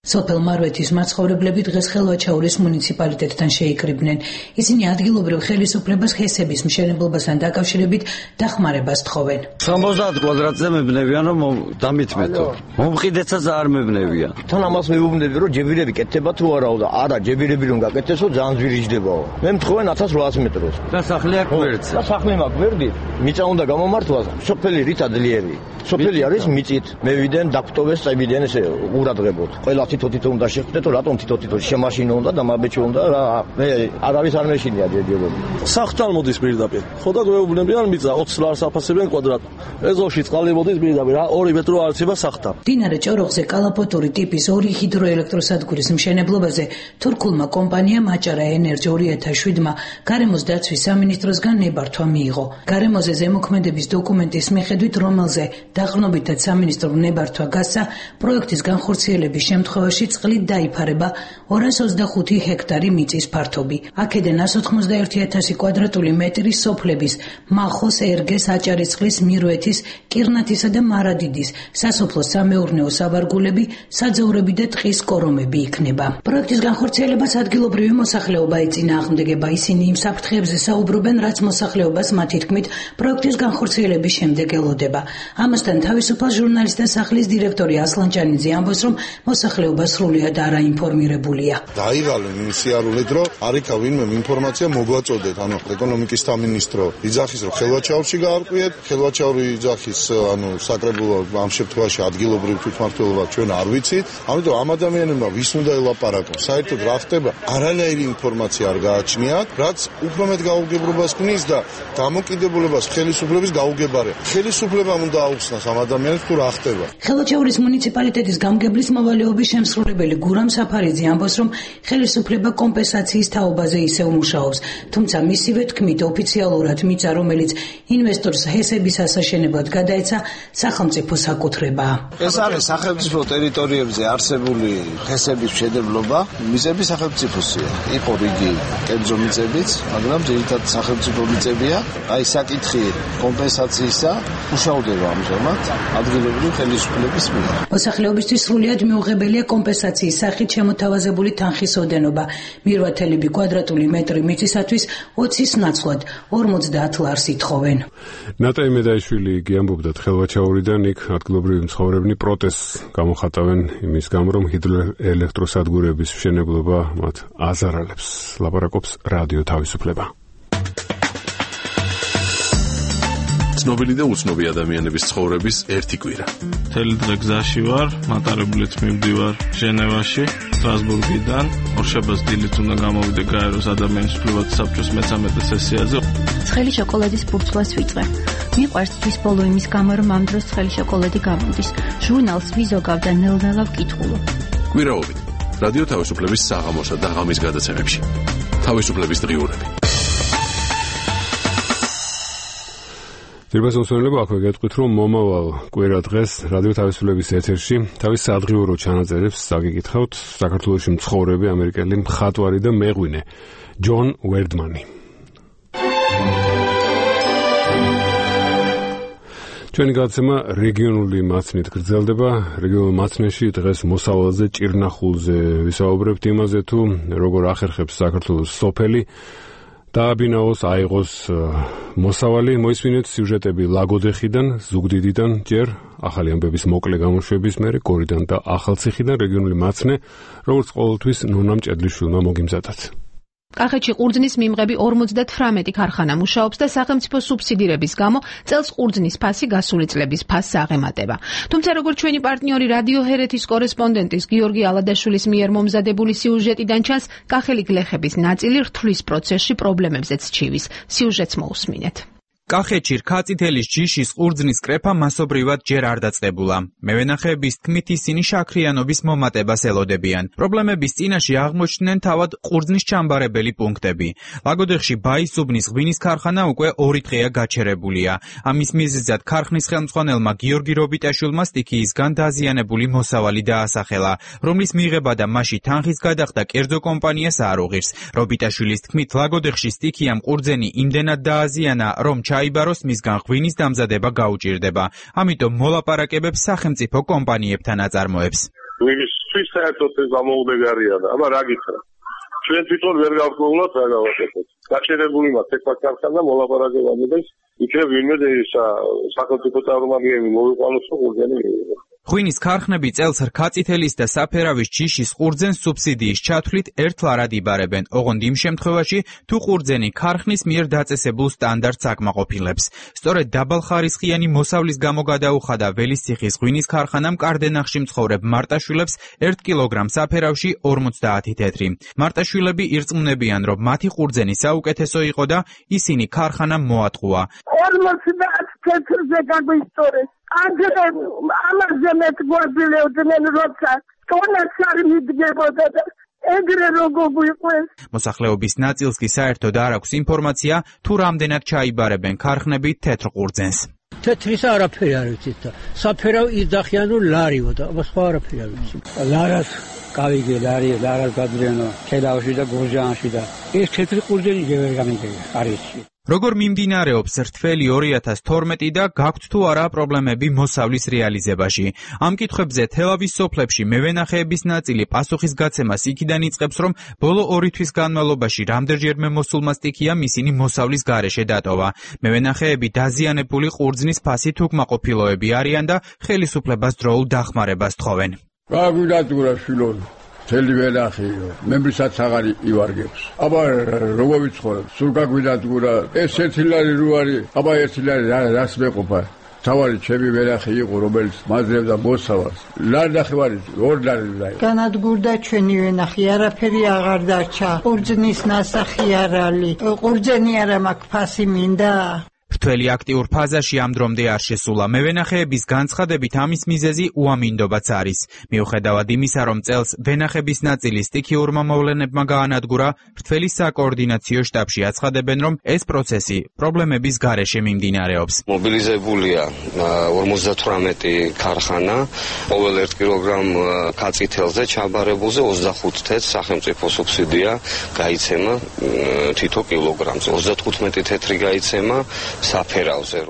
სოფელ მარვეთის მაცხოვრებლები დღეს ხელვაჩაურის მუნიციპალიტეტთან შეიკრიბნენ. ისინი ადგილობრივ ხელისუფლებას ჰესების მშენებლობასთან დაკავშირებით დახმარებას თხოვენ. სამოცდაათ კვადრატზე მებნევიან, რომ დამითმეთო. მომყიდეცაც არ მებნევიან. თან ამას მეუბნები, რომ ჯებირები კეთდება თუ არაო და არა, ჯებირები რომ გაკეთესო ძალიან ძვირიჯდებაო. მე მთხოვენ ათას რვაას მეტროს. და სახლი აქ გვერდზე. და სახლი მაგ გვერდით. მიწა უნდა გამომართვას, სოფელი რით ადლიერი. სოფელი არის მიწით. მევიდენ დაგვტოვეს წებიდან ესე ყურადღებოთ. ყველა თითო-თითო უნდა შეხვდეთო, რატომ თითო-თითო შემაშინო უნდა და მაბეჭო უნდა რა. მე არ არის არ მეშინია ჯერჯერობით. სახთან მოდის პირდაპირ. ხო და გვეუბნებიან მიწა ოცს ლარს აფასებენ კვადრატ. ეზოში წყალი მოდის პირდაპირ, რა ორი მეტრო არცება სახთან. მდინარე ჭოროხზე კალაპოტური ტიპის ორი ჰიდროელექტროსადგურის მშენებლობაზე თურქულმა კომპანიამ აჭარა ენერჯი ორი ათას შვიდმა გარემოს დაცვის სამინისტროსგან ნებართვა მიიღო. გარემოზე ზემოქმედების დოკუმენტის მიხედვით, რომელზე დაყრდნობითად სამინისტრო ნებართვა გასცა, პროექტის განხორციელების შემთხვევაში წყლით დაიფარება ორას ოცდახუთი ჰექტარი მიწის ფართობი. აქედან ას ოთხმოცდაერთი ათასი კვადრატული მეტრი სოფლების მახოს, ერგეს, აჭარისწყლის, მირვეთის, კირნათისა და მარადიდის სასოფლო სამეურნეო საბარგულები, საძოვრები და ტყის კორომები იქნება. პროექტის განხორციელებას ადგილობრივი მოსახლეობა ეწინააღმდეგება. ისინი იმ საფრთხეებზე საუბრობენ, რაც მოსახლეობას მათი თქმით პროექტის განხორციელების შემდეგ ელოდება. ამასთან თავისუფალ ჟურნალისტთა სახლის დირექტორი ასლან ჭანიძე ამბობს, რომ მოსახლეობა სრულიად არაინფორმირებულია. დაიღალენ იმ სიარულით, რომ არიქა ვინმე ინფორმაცია მოგვაწოდეთ, ანუ ეკონომიკის სამინისტრო იძახის, რომ ხელვაჩაურში გაარკვიეთ, ხელვაჩაური იძახის, ანუ საკრებულო ამ შემთხვევაში ადგილობრივ თვითმმართველობა ჩვენ არ ვიცით, ამიტომ ამ ადამიანებმა ვის უნდა ელაპარაკოს, საერთოდ რა ხდება, არანაირი ინფორმაცია არ გააჩნიათ, რაც უფრო მეტ გაუგებრობას ქმნის და დამოკიდებულებას ხელისუფლების გაუგებარება. ხელისუფლებამ უნდა აუხსნას ამ ადამიანებს თუ რა ხდება. ხელვაჩაურის მუნიციპალიტეტის გამგებლის მოვალეობის შემსრულებელი გურამ საფარიძე ამბობს, რომ ხელისუფლება კომპენსაციის თაობაზე ისევ მუშაობს, თუმცა მისივე თქმით ოფიციალურად მიწა, რომელიც ინვესტორს ჰესების ასაშენებლად გადაეცა, სახელმწიფო საკუთრებაა. ეს არის სახელმწიფო ტერიტორიებზე არსებული ჰესების მშენებლობა, მიწები სახელმწიფოსია. იყო რიგი კერძო მიწებიც, მაგრამ ძირითადად სახელმწიფო მიწებია. აი საკითხი კომპენსაციისა მუშაობდება ამჟამად ადგილობრივი ხელისუფლების მიერ. მოსახლეობისთვის სრულიად მიუღებელია კომპენსაციის სახით შემოთავაზებული თანხის ოდენობა. მირვათელები კვადრატული მეტრი მიწისათვის ოცის ნაცვლად ორმოცდაათ ლარს ითხოვენ. ნატა იმედაიშვილი გიამბობდა ხელვაჩაურიდან, იქ ადგილობრივი მცხოვრებნი პროტესტს გამოხატავენ იმის გამო, რომ ჰიდროელექტროსადგურების მშენებლობა მათ აზარალებს. ლაპარაკობს რადიო თავისუფლება. ცნობილი და უცნობი ადამიანების ცხოვრების ერთი კვირა. მთელი დღე გზაში ვარ, მატარებლით მივდივარ ჟენევაში, სტრასბურგიდან. ორშაბათს დილით უნდა გამოვიდე გაეროს ადამიანის უფლებათა საბჭოს მეცამეტე სესიაზე. ცხელი შოკოლადის ბურთულას ვიწვე. მიყვარს თვის ბოლო იმის გამო, რომ ამ დროს ცხელი შოკოლადი გამოდის. ჟურნალს ვიზოგავ და ნელ-ნელა ვკითხულობ. კვირაობით რადიო თავისუფლების საღამოსა და ღამის გადაცემებში. თავისუფლების დღიურები. ძირბას მოსვენებო აქვე გეტყვით, რომ მომავალ კვირა დღეს რადიო თავისუფლების ეთერში თავის სადღიურო ჩანაწერებს საგიკითხავთ საქართველოში მცხოვრები ამერიკელი მხატვარი და მეღვინე ჯონ ვერდმანი. ჩვენი გადაცემა რეგიონული მაცნით გრძელდება. რეგიონულ მაცნეში დღეს მოსავალზე ჭირნახულზე ვისაუბრებთ იმაზე, თუ როგორ ახერხებს საქართველოს სოფელი დააბინაოს, აიღოს მოსავალი. მოისმინეთ სიუჟეტები ლაგოდეხიდან, ზუგდიდიდან, ჯერ ახალი ამბების მოკლე გამოშვების მერე გორიდან და ახალციხიდან. რეგიონული მაცნე, როგორც ყოველთვის, ნონა მჭედლიშვილმა მოგიმზადათ. კახეთში ყურძნის მიმღები ორმოცდათვრამეტი ქარხანა მუშაობს და სახელმწიფო სუბსიდირების გამო წელს ყურძნის ფასი გასული წლების ფასს აღემატება. თუმცა როგორც ჩვენი პარტნიორი რადიო ჰერეთის კორესპონდენტის გიორგი ალადაშვილის მიერ მომზადებული სიუჟეტიდან ჩანს, კახელი გლეხების ნაწილი რთვლის პროცესში პრობლემებზეც ჩივის. სიუჟეტს მოусმინეთ. კახეთში რქაწითელის ჯიშის ყურძნის კრეფა მასობრივად ჯერ არ დაწყებულა. მევენახეების თქმით ისინი შაქრიანობის მომატებას ელოდებიან. პრობლემების წინაშე აღმოჩნდნენ თავად ყურძნის ჩამბარებელი პუნქტები. ლაგოდეხში ბაისუბნის ღვინის ქარხანა უკვე ორი დღეა გაჩერებულია. ამის მიზეზად ქარხნის ხელმძღვანელმა გიორგი რობიტაშვილმა სტიქიისგან დაზიანებული მოსავალი დაასახელა, რომლის მიღება და მასში თანხის გადახდა კერძო კომპანიას არ უღირს. რობიტაშვილის თქმით, ლაგოდეხში სტიქიამ ყურძენი იმდენად დააზიანა, რომ ჩაიბაროს მისგან ღვინის დამზადება გაუჭირდება. ამიტომ მოლაპარაკებებს სახელმწიფო კომპანიებთან აწარმოებს. ღვინისთვის საერთოდ ეს გამოუდეგარია და აბა რა გითხრა. ჩვენ თვითონ ვერ გავგოვლოთ რა გავაკეთოთ. გაჩერებული მაქვს ეს ქარხანა მოლაპარაკება მოდეს, იქნებ ვინმე სახელმწიფო წარმომადგენელი მოვიყვანოს და ყურძენი მიიღო. ღვინის ქარხნები წელს რქაწითელის და საფერავის ჯიშის ყურძენს სუბსიდიის ჩათვლით ერთლარად იბარებენ, ოღონდ იმ შემთხვევაში, თუ ყურძენი ქარხნის მიერ დაწესებულ სტანდარტს აკმაყოფილებს. სწორედ დაბალხარისხიანი მოსავლის გამო გადაუხადა ველისციხის ღვინის ქარხანამ კარდენახში მცხოვრებ მარტაშვილებს ერთ კილოგრამ საფერავში ორმოცდაათი თეთრი. მარტაშვილები ირწმუნებიან, რომ მათი ყურძენი საუკეთესო იყო და ისინი ქარხანამ მოატყუა. ორმოცდაათი თეთრზე გაგვისწორეს. Andre amazze met გვაბილევდნენ როცა ტონაც არ მიდგებოდა და ეგრე როგორ გვიყვეს. მოსახლეობის ნაწილს კი საერთოდ არ აქვს ინფორმაცია, თუ რამდენად ჩაიბარებენ ქარხნები თეთრ ყურძენს. თეთრის არაფერი არ ვიცით და საფერავ იძახიან რომ ლარიო და სხვა არაფერი არ ვიცით. ლარას გავიგე ლარი ლარას გადრენო ქედავში და გურჯაანში და ეს თეთრი ყურძენი ჯერ გამიგია არიში. როგორ მიმდინარეობს რთველი ორი ათას თორმეტი და გაქვთ თუ არა პრობლემები მოსავლის რეალიზებაში. ამ კითხვებზე თელავის სოფლებში მევენახეების ნაწილი პასუხისგაცემას იქიდან იწყებს, რომ ბოლო ორი თვის განმავლობაში რამდენჯერმე მოსულმა სტიქიამ ისინი მოსავლის გარეშე დატოვა. მევენახეები დაზიანებული ყურძნის ფასით უკმაყოფილოები არიან და ხელისუფლებას დროულ დახმარებას თხოვენ. გაგვიდატურა შვილო თელი ვენახიო, მემრისაც აღარ ივარგებს. აბა როგორ ვიცხოვრებ? სულ გაგვიდატურა ეს ერთი ლარი რო არის, აბა ერთი ლარი რას მეყოფა? თავარი ჩემი ვენახი იყო, რომელიც მაძრებდა მოსავალს. ლარი ნახევარი, ორი ლარი დაი. განადგურდა ჩვენი ვენახი, არაფერი აღარ დარჩა. ყურძნის ნასახი არ არის. ყურძენი არა მაქვს, ფასი მინდა. რთველი აქტიურ ფაზაში ამ დრომდე არ შესულა. მევენახეების განცხადებით ამის მიზეზი უამინდობაც არის. მიუხედავად იმისა, რომ წელს ვენახების ნაწილი სტიქიურმა მოვლენებმა გაანადგურა, რთველი საკოორდინაციო შტაბში აცხადებენ, რომ ეს პროცესი პრობლემების გარეშე მიმდინარეობს. მობილიზებულია ორმოცდათვრამეტი ქარხანა, ყოველ ერთ კილოგრამ ქაწითელზე ჩაბარებულზე ოცდახუთ თეთრს სახელმწიფო სუბსიდია გაიცემა თითო კილოგრამზე. ოცდათხუთმეტი თეთრი გაიცემა საფერავზე.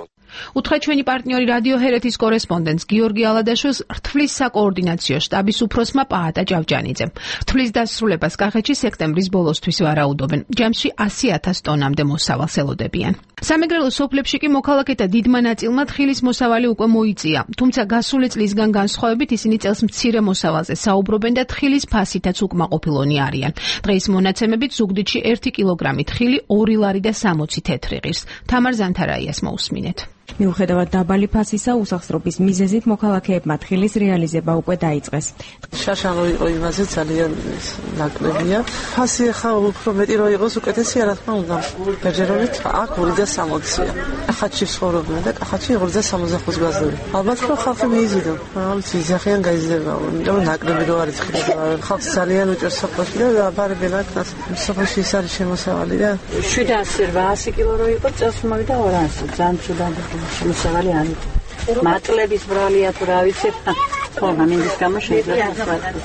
უთხრა ჩვენი პარტნიორი რადიო ჰერეთის კორესპონდენტს გიორგი ალადაშვილს რთვლის საკოორდინაციო შტაბის უფროსმა პაატა ჭავჭანიძემ. რთვლის დასრულებას კახეთში სექტემბრის ბოლოსთვის ვარაუდობენ. ჯამში ასი ათას ტონამდე მოსავალს ელოდებიან. სამეგრელო სოფლებში კი მოქალაქეთა დიდმა ნაწილმა თხილის მოსავალი უკვე მოიწია. თუმცა გასული წლისგან განსხვავებით ისინი წელს მცირე მოსავალზე საუბრობენ და თხილის ფასითაც უკმაყოფილონი არიან. დღეის მონაცემებით ზუგდიდში ერთი კილოგრამი თხილი ორი ლარი და სამოცი თეთრი ღირს. თამარ ზანთარაიას მოусმინეთ. მიუხედავად დაბალი ფასისა უსახსრობის მიზეზით მოქალაქეებმა თხილის რეალიზება უკვე დაიწყეს. შაშანო იყო იმაზე ძალიან ნაკლებია. ფასი ახლა უფრო მეტი რო იყოს უკეთესი რა თქმა უნდა. ბეჯერობით აქ ორი და სამოცია. კახეთში ცხოვრობენ და კახეთში ორი და სამოცდახუთს გაზრდები. ალბათ რომ ხალხი მიიზიდო. ალბათ იზახიან გაიზრდება. იმიტომ ნაკლები რო არის თხილი. ხალხს ძალიან უჭერს სოფლში და აბარებენ აქ სოფლში ის არის შემოსავალი და შვიდასი რვაასი კილო რო იყო წელს მოვიდა ორასი. ძალიან ცუდად შემოსავალი არის. მატლების ბრალია თუ რა ვიცი. ხო, ამინდის გამო შეიძლება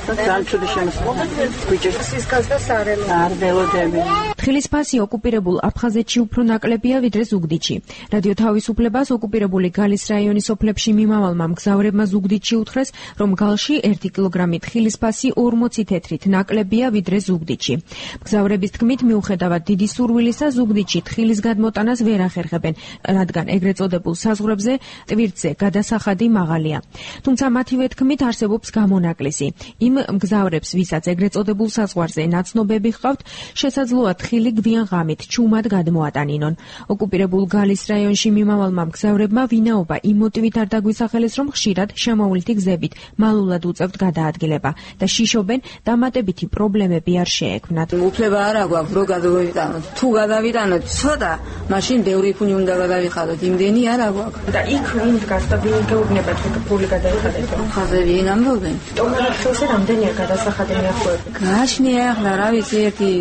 ძალიან ცუდი შემოსავალი. გვიჭერს სისქას და სარემო. არდელოდები. თხილის ფასი ოკუპირებულ აფხაზეთში უფრო ნაკლებია ვიდრე ზუგდიდში. რადიო თავისუფლებას ოკუპირებული გალის რაიონის სოფლებში მიმავალმა მგზავრებმა ზუგდიდში უთხრეს, რომ გალში ერთი კილოგრამი თხილის ფასი ორმოცი თეთრით ნაკლებია ვიდრე ზუგდიდში. მგზავრების თქმით, მიუხედავად დიდი სურვილისა, ზუგდიდში თხილის გადმოტანას ვერ ახერხებენ, რადგან ეგრეთ წოდებულ საზღვრებზე ტვირთზე გადასახადი მაღალია. თუმცა მათივე თქმით არსებობს გამონაკლისი. იმ მგზავრებს, ვისაც ეგრეთ წოდებულ საზღვარზე ნაცნობები ჰყავთ, შესაძლოა ხილი გვიან ღამით ჩუმად გადმოატანინონ. ოკუპირებულ გალის რაიონში მიმავალმა მგზავრებმა ვინაობა იმ მოტივით არ დაგვისახელეს, რომ ხშირად შემოვლითი გზებით მალულად უწევთ გადაადგილება და შიშობენ დამატებითი პრობლემები არ შეექმნათ. უფლება არ აქვს რომ გადავიტანოთ. თუ გადავიტანოთ ცოტა, მაშინ ბევრი ფული უნდა გადავიხადოთ. იმდენი არ აქვს. და იქ ვინ დგას და ვინ გეუბნებათ რომ ფული გადაიხადეთ? ხაზები ნამდვილად. ტომრაშოზე რამდენია გადასახადი მიახლოებული? გაშნია ახლა რა ვიცი ერთი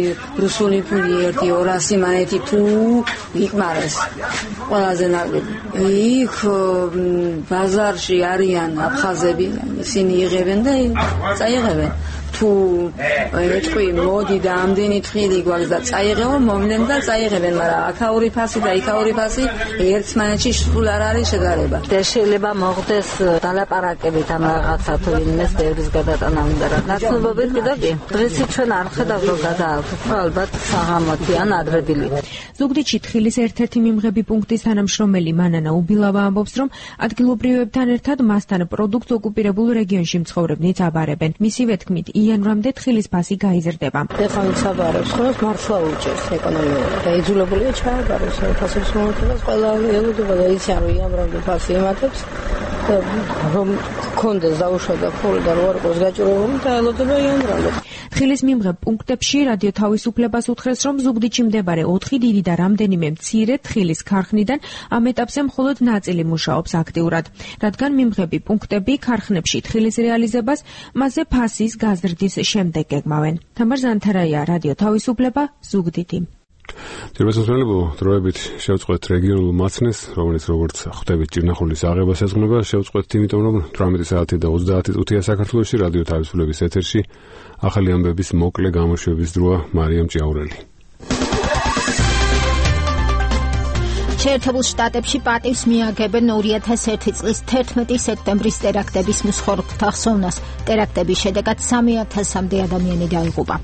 რუსული ფული ერთი ორასი მანეთი თუ ვიკმარეს. ყველაზე ნაკლები. იქ ბაზარში არიან აფხაზები, ისინი იღებენ და წაიღებენ. თუ ეთქვი მოდი და ამდენი თხილი გვაქვს და წაიღებო, მომდნენ და წაიღებენ, მაგრამ აქაური ფასი და იქაური ფასი ერთმანეთში სულ არ არის შედარება. და შეიძლება მოხდეს დალაპარაკებით ამ რაღაცა თუ ვინმეს ბევრის გადატანა უნდა რა. ნაცნობობით კიდევ კი. დღესაც ჩვენ არ ხედავთ რომ გადააქვთ, ალბათ საღამოთი ან ადრედილით. ზუგდიდში თხილის ერთ-ერთი მიმღები პუნქტის თანამშრომელი მანანა უბილავა ამბობს, რომ ადგილობრივებთან ერთად მასთან პროდუქტს ოკუპირებულ რეგიონში მცხოვრებნიც აბარებენ. მისივე თქმით, იანვრამდე თხილის ფასი გაიზრდება. ეხლა ვინც აბარებს, ხოლმე მართლა უჭერს ეკონომიკურად. და იძულებულია ჩააბაროს ფასებს მომთხოვს, ყველა ელოდება და იციან რომ იანვრამდე ფასი იმატებს და რომ კონდეს დაუშვა ფული და რო არ ყოს გაჭირებული და ელოდება იანვრამდე. თხილის მიმღებ პუნქტებში რადიო თავისუფლებას უთხრეს, რომ ზუგდიდში მდებარე ოთხი დიდი და რამდენიმე მცირე თხილის ქარხნიდან ამ ეტაპზე მხოლოდ ნაწილი მუშაობს აქტიურად, რადგან მიმღები პუნქტები ქარხნებში თხილის რეალიზებას მასზე ფასის გაზრდის შემდეგ გეგმავენ. თამარ ზანთარაია, რადიო თავისუფლება, ზუგდიდი. ძირბასმსმელებო, დროებით შევწყვეთ რეგიონულ მაცნეს, რომელიც როგორც ხვდებით ჭირნახულის აღებას ეძღვნება, შევწყვეთ იმიტომ, რომ თვრამეტი საათი და ოცდაათი წუთია საქართველოში რადიო თავისუფლების ეთერში ახალი ამბების მოკლე გამოშვების დროა. მარიამ ჭიაურელი. შეერთებულ შტატებში პატივს მიაგებენ ორი ათას ერთი წლის თერთმეტი სექტემბრის ტერაქტების მსხვერპლთა ხსოვნას. ტერაქტების შედეგად სამი ათასამდე ადამიანი დაიღუპა.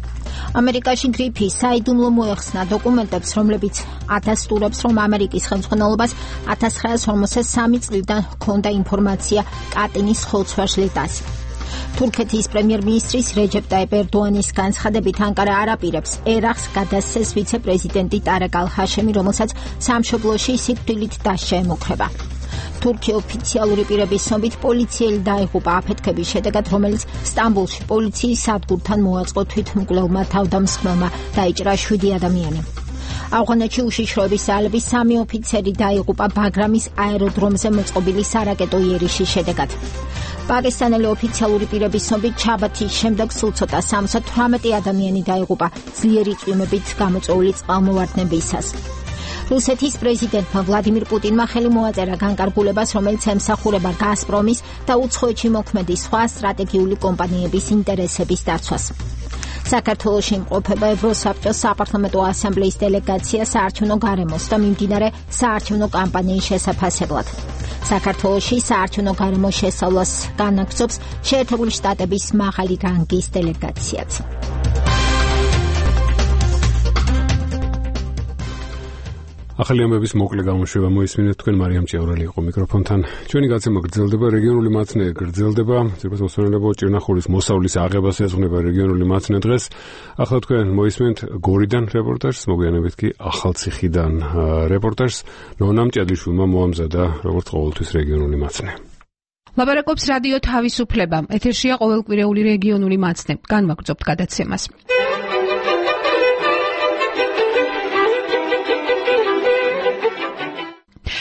ამერიკაში გრიფი საიდუმლო მოეხსნა დოკუმენტებს, რომლებიც ათასტურებს, რომ ამერიკის ხელმძღვანელობას ათას ცხრაას ორმოცდა სამი წლიდან ჰქონდა ინფორმაცია კატინის ხოლცვაშლიტას. თურქეთის პრემიერ-მინისტრის რეჯეპ ტაიპ ერდოანის განცხადებით ანკარა არ აპირებს ერახს გადასცეს ვიცე-პრეზიდენტი ტარეკ ალ-ჰაშემი, რომელსაც სამშობლოში სიკვდილით დასჯა ემუქრება. თურქი ოფიციალური პირების ცნობით პოლიციელი დაიღუპა აფეთქების შედეგად, რომელიც სტამბოლში პოლიციის სადგურთან მოაწყო თვითმკვლელმა თავდამსხმელმა, დაიჭრა შვიდი ადამიანი. ავღანეთში უშიშროების ძალების სამი ოფიცერი დაიღუპა ბაგრამის აეროდრომზე მოწყობილი სარაკეტო იერიშის შედეგად. პაკისტანელი ოფიციალური პირების ცნობით ჩაბათის შემდეგ სულ ცოტა სამოცდა თვრამეტი ადამიანი დაიღუპა ძლიერი წვიმებით გამოწვეული წყალმოვარდნებისას. რუსეთის პრეზიდენტმა ვლადიმირ პუტინმა ხელი მოაწერა განკარგულებას, რომელიც ემსახურება გაზპრომის და უცხოეთში მოქმედი სხვა სტრატეგიული კომპანიების ინტერესების დაცვას. საქართველოში იმყოფება ევროსაბჭოს საპარლამენტო ასამბლეის დელეგაცია საარჩევნო გარემოს და მიმდინარე საარჩევნო კამპანიის შესაფასებლად. საქართველოში საარჩევნო გარემოს შესწავლას განაგრძობს შეერთებული შტატების მაღალი რანგის დელეგაციაც. ახალი ამბების მოკლე გამოშვება მოისმინეთ, თქვენ მარიამ ჭიაურელი იყო მიკროფონთან. ჩვენი გაცემა გრძელდება, რეგიონული მაცნე გრძელდება. ძირფასმოსმენელებო, ჭირნახულის მოსავლის აღებას ეძღვნება რეგიონული მაცნე დღეს. ახლა თქვენ მოისმენთ გორიდან რეპორტაჟს, მოგვიანებით კი ახალციხიდან რეპორტაჟს. ნონა მჭადიშვილმა მოამზადა როგორც ყოველთვის რეგიონული მაცნე. ლაპარაკობს რადიო თავისუფლება. ეთერშია ყოველკვირეული რეგიონული მაცნე. განვაგრძობთ გადაცემას.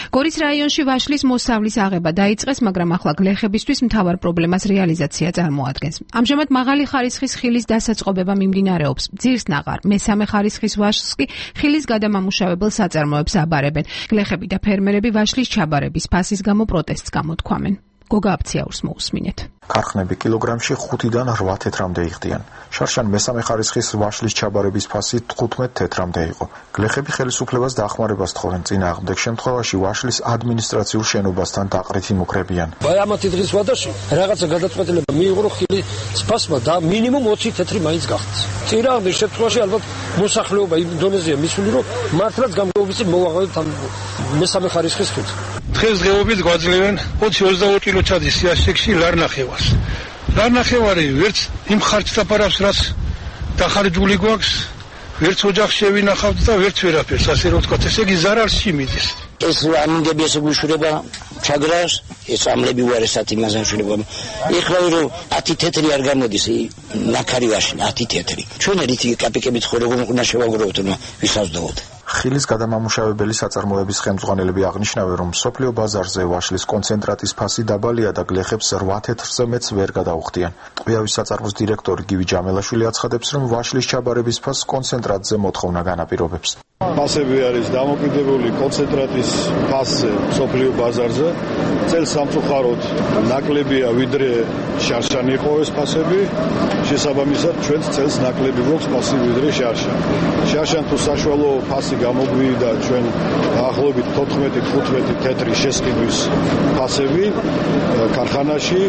გორის რაიონში ვაშლის მოსავლის აღება დაიწყეს, მაგრამ ახლა გლეხებისთვის მთავარ პრობლემას რეალიზაცია წარმოადგენს. ამჟამად მაღალი ხარისხის ხილის დასაწყობება მიმდინარეობს. ძირსნაყარ, მესამე ხარისხის ვაშლს კი ხილის გადამამუშავებელ საწარმოებს აბარებენ. გლეხები და ფერმერები ვაშლის ჩაბარების ფასის გამო პროტესტს გამოთქვამენ. გოგა აფციაურს მოусმინეთ. ქარხნები კილოგრამში ხუთიდან რვა თეთრამდე იხდიან. შარშან მესამე ხარისხის ვაშლის ჩაბარების ფასი თხუთმეტ თეთრამდე იყო. გლეხები ხელისუფლებას დახმარებას თხოვენ, წინააღმდეგ შემთხვევაში ვაშლის ადმინისტრაციულ შენობასთან დაყრით იმუქრებიან. აი ამათი დღის ვადაში რაღაცა გადაწყვეტილება მიიღო, რომ ხილის ფასმა და მინიმუმ ოცი თეთრი მაინც გახდეს. წინააღმდეგ შემთხვევაში ალბათ მოსახლეობა იმ დონეზეა მისული, რომ მართლაც გამგეობისი მოვაღწევთ ამ მესამე ხარისხის ხილს. დღესდღეობით გვაძლევენ ოცი ოცდაოთხ კილო ჩადის სიაშექში ლარნახევას. ლარნახევარი ვერც იმ ხარჯს დაფარავს, რაც დახარჯული გვაქვს, ვერც ოჯახში შევინახავთ და ვერც ვერაფერს, ასე რომ ვთქვათ, ესე იგი ზარალში მიდის. ეს ამინდები ესე გუშურება ჩაგრას, ეს ამლები უარესად იმაზე შურება. ეხლა რომ ათი თეთრი არ გამოდის ნაკარივაში, ათი თეთრი. ჩვენ რითი კაპიკებით ხო როგორ უნდა შევაგროვოთ, რომ ვისაზდოთ. ხილის გადამამუშავებელი საწარმოების ხელმძღვანელები აღნიშნავენ, რომ სოფლიო ბაზარზე ვაშლის კონცენტრატის ფასი დაბალია და გლეხებს რვა თეთრზე მეც ვერ გადაუხდიან. ტყვიავის საწარმოს დირექტორი გივი ჯამელაშვილი აცხადებს, რომ ვაშლის ჩაბარების ფასს კონცენტრატზე მოთხოვნა განაპირობებს. ფასები არის დამოკიდებული კონცენტრატის ფასზე სოფლიო ბაზარზე. წელს სამწუხაროდ ნაკლებია, ვიდრე შარშანი იყო ეს ფასები. შესაბამისად, ჩვენც წელს ნაკლები გვაქვს ფასი ვიდრე შარშანი. შარშან თუ საშუალო ფასი გამოგვიდა ჩვენ დაახლოებით თოთხმეტი თხუთმეტი თეთრი შესყიდვის ფასები ქარხანაში.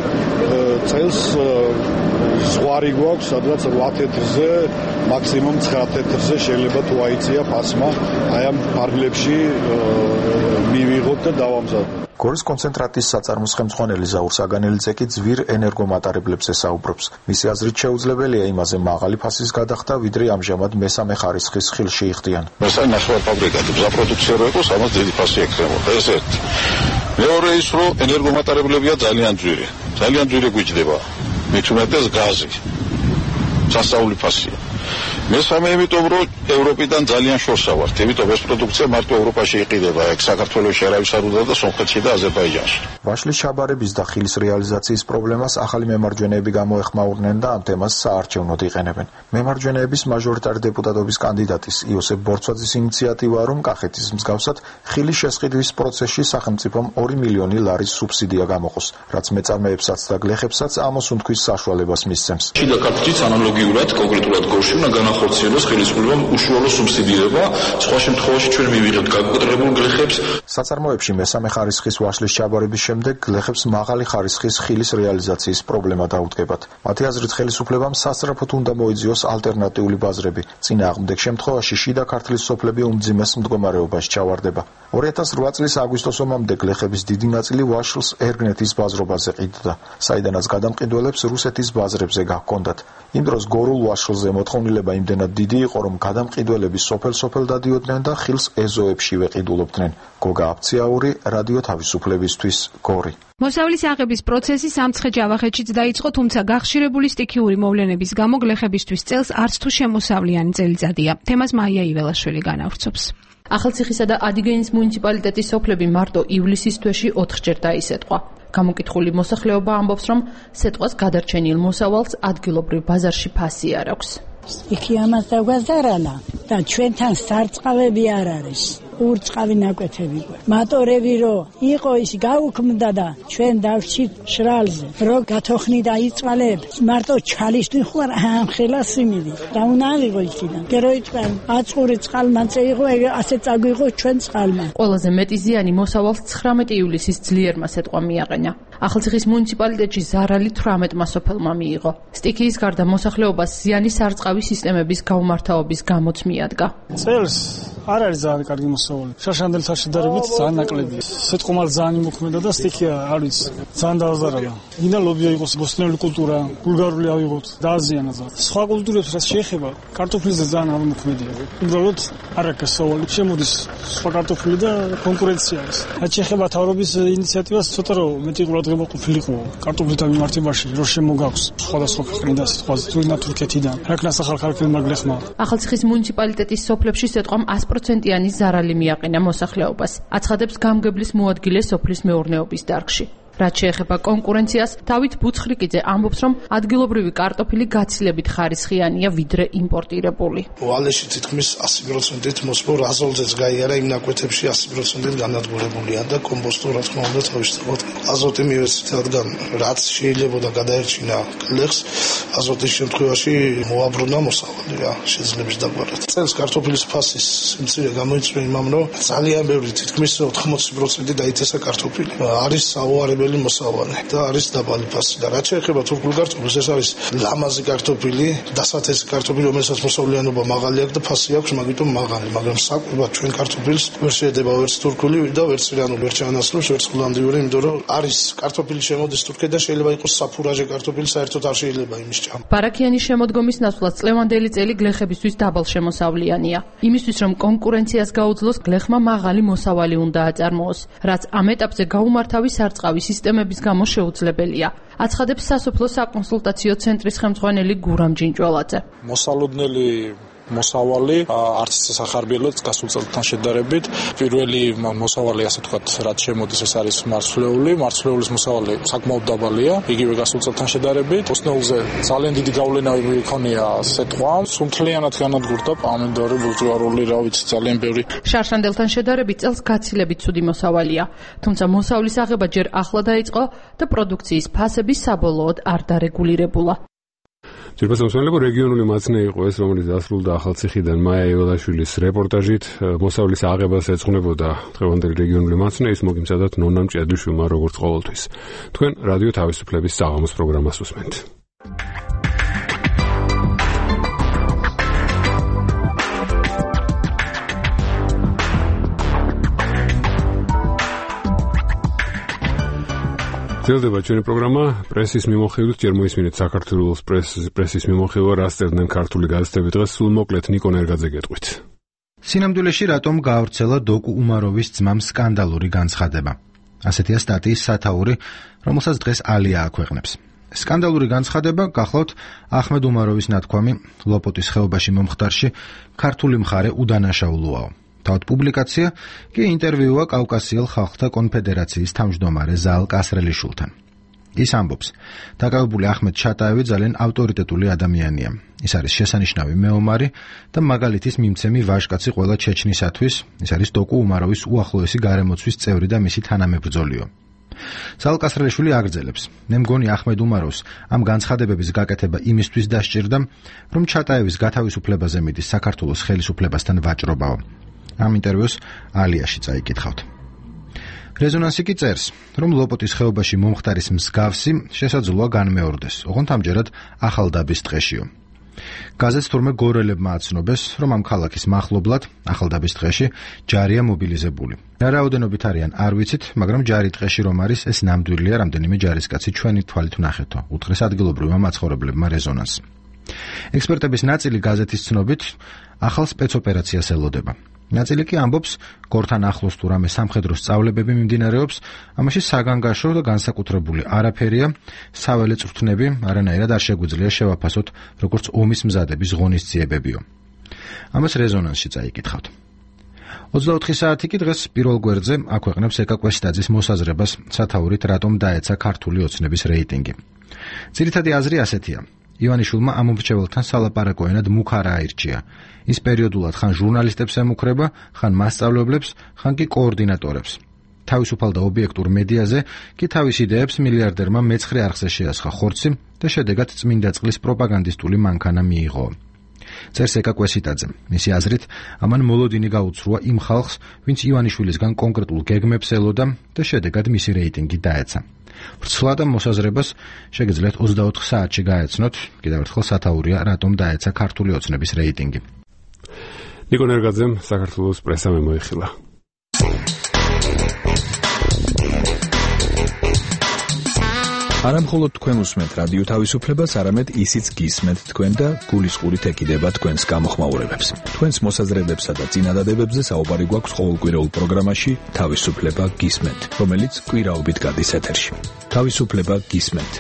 წელს ზღვარი გვაქვს, სადღაც რვა თეთრზე, მაქსიმუმ ცხრა თეთრზე შეიძლება თუ აიწია ფასმა, აი ამ ფარგლებში მივიღოთ და დავამზადოთ. გორის კონცენტრატის საწარმოს ხელმძღვანელი ზაურ საგანელიძე კი ძვირ ენერგომატარებლებზე საუბრობს. მისი აზრით შეუძლებელია იმაზე მაღალი ფასის გადახდა, ვიდრე ამჟამად მესამე ხარისხის ხილში იხდიან. მესამე ნახევარ ფაბრიკატი ზაფროდუქცია რო იყოს, ამას დიდი ფასი ექნებოდა. ეს ერთი. მეორე ის რომ ენერგომატარებლებია ძალიან ძვირი. ძალიან ძვირი გვიჭდება. მით უმეტეს გაზი. სასწაული ფასია. მესამე იმიტომ რომ ევროპიდან ძალიან შორსა ვართ, იმიტომ ეს პროდუქცია მარტო ევროპაში იყიდება, ეგ საქართველოში არავის არ უნდა და სომხეთში და აზერბაიჯანში. ვაშლის ჩაბარების და ხილის რეალიზაციის პრობლემას ახალი მემარჯვენეები გამოეხმაურნენ და ამ თემას საარჩევნოდ იყენებენ. მემარჯვენეების მაჟორიტარი დეპუტატობის კანდიდატის იოსებ ბორცვაძის ინიციატივაა, რომ კახეთის მსგავსად ხილის შესყიდვის პროცესში სახელმწიფომ ორი მილიონი ლარის სუბსიდია გამოყოს, რაც მეწარმეებსაც და გლეხებსაც ამოსუნთქვის საშუალებას მისცემს. შიდა კახეთიც ანალოგიურად კონკრეტულად გორში უნდა განახორციელოს ხელისუფლებამ უშუალო სუბსიდირება, სხვა შემთხვევაში ჩვენ მივიღებთ გაკოტრებულ გლეხებს. საწარმოებში მესამე ხარისხის ვაშლის ჩაბარების შემდეგ გლეხებს მაღალი ხარისხის ხილის რეალიზაციის პრობლემა დაუდგებათ. მათი აზრით ხელისუფლებამ სასწრაფოდ უნდა მოიძიოს ალტერნატიული ბაზრები. წინააღმდეგ შემთხვევაში შიდა ქართლის სოფლები უმძიმეს მდგომარეობაში ჩავარდება. ორი ათას რვა წლის აგვისტოს ომამდე გლეხების დიდი ნაწილი ვაშლს ერგნეთის ბაზრობაზე ყიდდა, საიდანაც გადამყიდველებს რუსეთის ბაზრებზე გაჰქონდათ. იმ დროს გორულ ვაშლზე მოთხოვნილება იმდენად დიდი იყო, რომ გადამყიდველები სოფელ-სოფელ დადიოდნენ და ხილს ეზოებშივე ყიდულობდნენ. გოგა აფციაური, რადიო თავისუფლებისთვის, გორი. მოსავლის აღების პროცესი სამცხე-ჯავახეთშიც დაიწყო, თუმცა გახშირებული სტიქიური მოვლენების გამო გლეხებისთვის წელს არც თუ შემოსავლიანი წელიწადია. თემას მაია იველაშვილი განავრცობს. ახალციხისა და ადიგენის მუნიციპალიტეტის სოფლები მარტო ივლისის თვეში ოთხჯერ დაისეტყვა. გამოკითხული მოსახლეობა ამბობს, რომ სეტყვას გადარჩენილ მოსავალს ადგილობრივ ბაზარში ფასი არ აქვს. იქი ამას დაგვაზარალა და ჩვენთან სარწყავები არ არის. ურწყავი ნაკვეთები გვაქვს. მატორები რო იყო ის გაუქმდა და ჩვენ დავშით შრალზე. რო გათოხნი და იწვალებ, მარტო ჩალიშტი ხوار ამხელა სიმილი. და უნდა აღიღო იქიდან. გერო იწვან, აწური წყალმანწე იყო, ასე წაგვიღო ჩვენ წყალმა. ყველაზე მეტი ზიანი მოსავალს ცხრამეტი ივლისის ძლიერმა სეტყვა მიაყენა. ახალციხის მუნიციპალიტეტში ზარალი თვრამეტმა სოფელმა მიიღო. სტიქიის გარდა მოსახლეობას ზიანი სარწყავი სისტემების გაუმართავობის გამოც მიადგა. წელს არ არის ძალიან კარგი მოსავალი. შაშანდელთან შედარებით ძალიან ნაკლებია. სეტყომალ ძალიან იმოქმედა და სტიქია არ ვიცი. ძალიან დააზარალა. გინდა ლობია იყოს ბოსტნეული კულტურა, ბულგარული ავიღოთ და აზიანა ძალიან. სხვა კულტურებს რაც შეეხება, კარტოფილიზე ძალიან არ მოქმედია. უბრალოდ არ აქვს გასავალი. შემოდის სხვა კარტოფილი და კონკურენცია არის. რაც შეეხება თავრობის ინიციატივას, ცოტა რომ მეტი ყურადღება ყოფილიყო კარტოფილთან მიმართებაში, რომ შემოგაქვს სხვადასხვა ქვეყნიდან, სხვადასხვა თურქეთიდან. რაკნას ახალქალაქელმა გლეხმა. ახალციხის მუნიციპალიტეტის სოფლებში სეტყვამ ას პროცენტიანი ზარალი მიაყენა მოსახლეობას. აცხადებს გამგებლის მოადგილე სოფლის მეურნეობის დარგში. რაც შეეხება კონკურენციას, დავით ბუცხრიკიძე ამბობს, რომ ადგილობრივი კარტოფილი გაცილებით ხარისხიანია ვიდრე იმპორტირებული. ვალეში თითქმის ასი პროცენტით მოსპო აზოლზეც გაიარა იმ ნაკვეთებში ასი პროცენტით განადგურებულია და კომპოსტო რა თქმა უნდა თავისთავად აზოტი მივეცით, რადგან რაც შეიძლება გადაერჩინა გლეხს, აზოტის შემთხვევაში მოაბრუნა მოსავალი რა შეძლებს დაგვარად. წელს კარტოფილის ფასის სიმცირე გამოიწვია იმამ, რომ ძალიან ბევრი თითქმის ოთხმოცი პროცენტი დაიწესა კარტოფილი. არის საუარებელი პირველი მოსავალი და არის დაბალი ფასი და რაც შეეხება თურქულ კარტოფილს ეს არის ლამაზი კარტოფილი, დასათესი კარტოფილი, რომელსაც მოსავლიანობა მაღალი აქვს და ფასი აქვს მაგიტომ მაღალი, მაგრამ საკვებად ჩვენ კარტოფილს ვერ შეედება ვერც თურქული და ვერც ირანული, ვერც ჩანასწრებს, ვერც ჰოლანდიური, იმიტომ რომ არის კარტოფილი შემოდის თურქეთიდან, შეიძლება იყოს საფურაჟე კარტოფილი, საერთოდ არ შეიძლება იმის ჭამა. ბარაქიანის შემოდგომის ნაცვლად წლევანდელი წელი გლეხებისთვის დაბალ შემოსავლიანია. იმისთვის რომ კონკურენციას გაუძლოს, გლეხმა მაღალი მოსავალი უნდა აწარმოოს, რაც ამ ეტაპზე გაუმართავი სარწყავი სისტემების გამო შეუძლებელია. აცხადებს სასოფლო საკონსულტაციო ცენტრის ხელმძღვანელი გურამ ჯინჭველაძე. მოსალოდნელი მოსავალი არც სახარბიელოც გასულ წელთან შედარებით პირველი მოსავალი ასე თქვათ რაც შემოდის ეს არის მარცვლეული მარცვლეულის მოსავალი საკმაოდ დაბალია იგივე გასულ წელთან შედარებით ოსნეულზე ძალიან დიდი გავლენა იქონია სეტყვა სუნთლიანად განადგურდა პამიდორი ბუზუარული რა ვიცი ძალიან ბევრი შარშანდელთან შედარებით წელს გაცილებით ცუდი მოსავალია თუმცა მოსავლის აღება ჯერ ახლა დაიწყო და პროდუქციის ფასები საბოლოოდ არ დარეგულირებულა Ძირფას მოსმენელებო რეგიონული მაცნე იყო ეს, რომელიც დასრულდა ახალციხიდან მაია ევადაშვილის რეპორტაჟით. მოსავლის აღებას ეძღვნებოდა დღევანდელი რეგიონული მაცნე, ის მოგიმზადათ ნონა მჭედლიშვილმა როგორც ყოველთვის. თქვენ რადიო თავისუფლების საღამოს პროგრამას უსმენთ. გრძელდება ჩვენი პროგრამა პრესის მიმოხილვით ჯერ მოისმინეთ საქართველოს პრესის მიმოხილვა რა სწერდნენ ქართული გაზეთები დღეს სულ მოკლედ ნიკო ნერგაძე გეტყვით. სინამდვილეში რატომ გაავრცელა დოკუ უმაროვის ძმამ სკანდალური განცხადება. ასეთია სტატიის სათაური, რომელსაც დღეს ალია აქვეყნებს. სკანდალური განცხადება გახლავთ ახმედ უმაროვის ნათქვამი ლოპოტის ხეობაში მომხდარში ქართული მხარე უდანაშაულოაო. თავად პუბლიკაცია კი ინტერვიუა კავკასიელ ხალხთა კონფედერაციის თავმჯდომარე ზაალ კასრელიშვილთან. ის ამბობს, დაკავებული ახმედ ჩატაევი ძალიან ავტორიტეტული ადამიანია. ის არის შესანიშნავი მეომარი და მაგალითის მიმცემი ვაჟკაცი ყველა ჩეჩნისათვის. ის არის დოკუ უმაროვის უახლოესი გარემოცვის წევრი და მისი თანამებრძოლიო. ზაალ კასრელიშვილი აგრძელებს, მე მგონი ახმედ უმაროვს ამ განცხადებების გაკეთება იმისთვის დასჭირდა, რომ ჩატაევის გათავისუფლებაზე მიდის საქართველოს ხელისუფლებასთან ვაჭრობაო. ამ ინტერვიუს ალიაში წაიკითხავთ. რეზონანსი კი წერს, რომ ლოპოტის ხეობაში მომხდარის მსგავსი შესაძლოა განმეორდეს, ოღონდ ამჯერად ახალდაბის ტყეშიო. გაზეთს თურმე გორელებმა აცნობეს, რომ ამ ქალაქის მახლობლად ახალდაბის ტყეში ჯარია მობილიზებული. რა რაოდენობით არიან არ ვიცით, მაგრამ ჯარი ტყეში რომ არის, ეს ნამდვილია რამდენიმე ჯარისკაცი ჩვენი თვალით ვნახეთო, უთხრეს ადგილობრივმა მაცხოვრებლებმა რეზონანს. ექსპერტების ნაწილი გაზეთის ცნობით ახალ სპეცოპერაციას ელოდება. ნაწილი კი ამბობს, გორთან ახლოს თუ რამე სამხედრო სწავლებები მიმდინარეობს, ამაში საგანგაშო და განსაკუთრებული არაფერია, საველე წვრთნები არანაირად არ შეგვიძლია შევაფასოთ, როგორც ომის მზადების ღონისძიებებიო. ამას რეზონანსში წაიკითხავთ. ოცდაოთხი საათი კი დღეს პირველ გვერდზე აქვეყნებს ეკა კვესტაძის მოსაზრებას სათაურით რატომ დაეცა ქართული ოცნების რეიტინგი. ძირითადი აზრი ასეთია. ივანიშვილმა ამომრჩეველთან სალაპარაკო ენად მუქ არ აირჩია. ის პერიოდულად ხან ჟურნალისტებს ემუქრება, ხან მასწავლებლებს, ხან კი კოორდინატორებს. თავისუფალ და ობიექტურ მედიაზე კი თავის იდეებს მილიარდერმა მეცხრე არხზე შეასხა ხორცი და შედეგად წმინდა წყლის პროპაგანდისტული მანქანა მიიღო. წერს ეკა კვესიტაძე. მისი აზრით, ამან მოლოდინი გაუცრუა იმ ხალხს, ვინც ივანიშვილისგან კონკრეტულ გეგმებს ელოდა და შედეგად მისი რეიტინგი დაეცა. ვრცლა და მოსაზრებას შეგიძლიათ ოცდაოთხ საათში გაეცნოთ, კიდევ ერთხელ სათაურია რატომ დაეცა ქართული ოცნების რეიტინგი. ნიკო ნერგაძემ საქართველოს პრესა მემოიხილა. არა მხოლოდ თქვენ უსმენთ რადიო თავისუფლებას, არამედ ისიც გისმენთ თქვენ და გულისყურით ეკიდება თქვენს გამოხმაურებებს. თქვენს მოსაზრებებსა და წინადადებებზე საუბარი გვაქვს ყოველკვირეულ პროგრამაში თავისუფლება გისმენთ, რომელიც კვირაობით გადის ეთერში. თავისუფლება გისმენთ.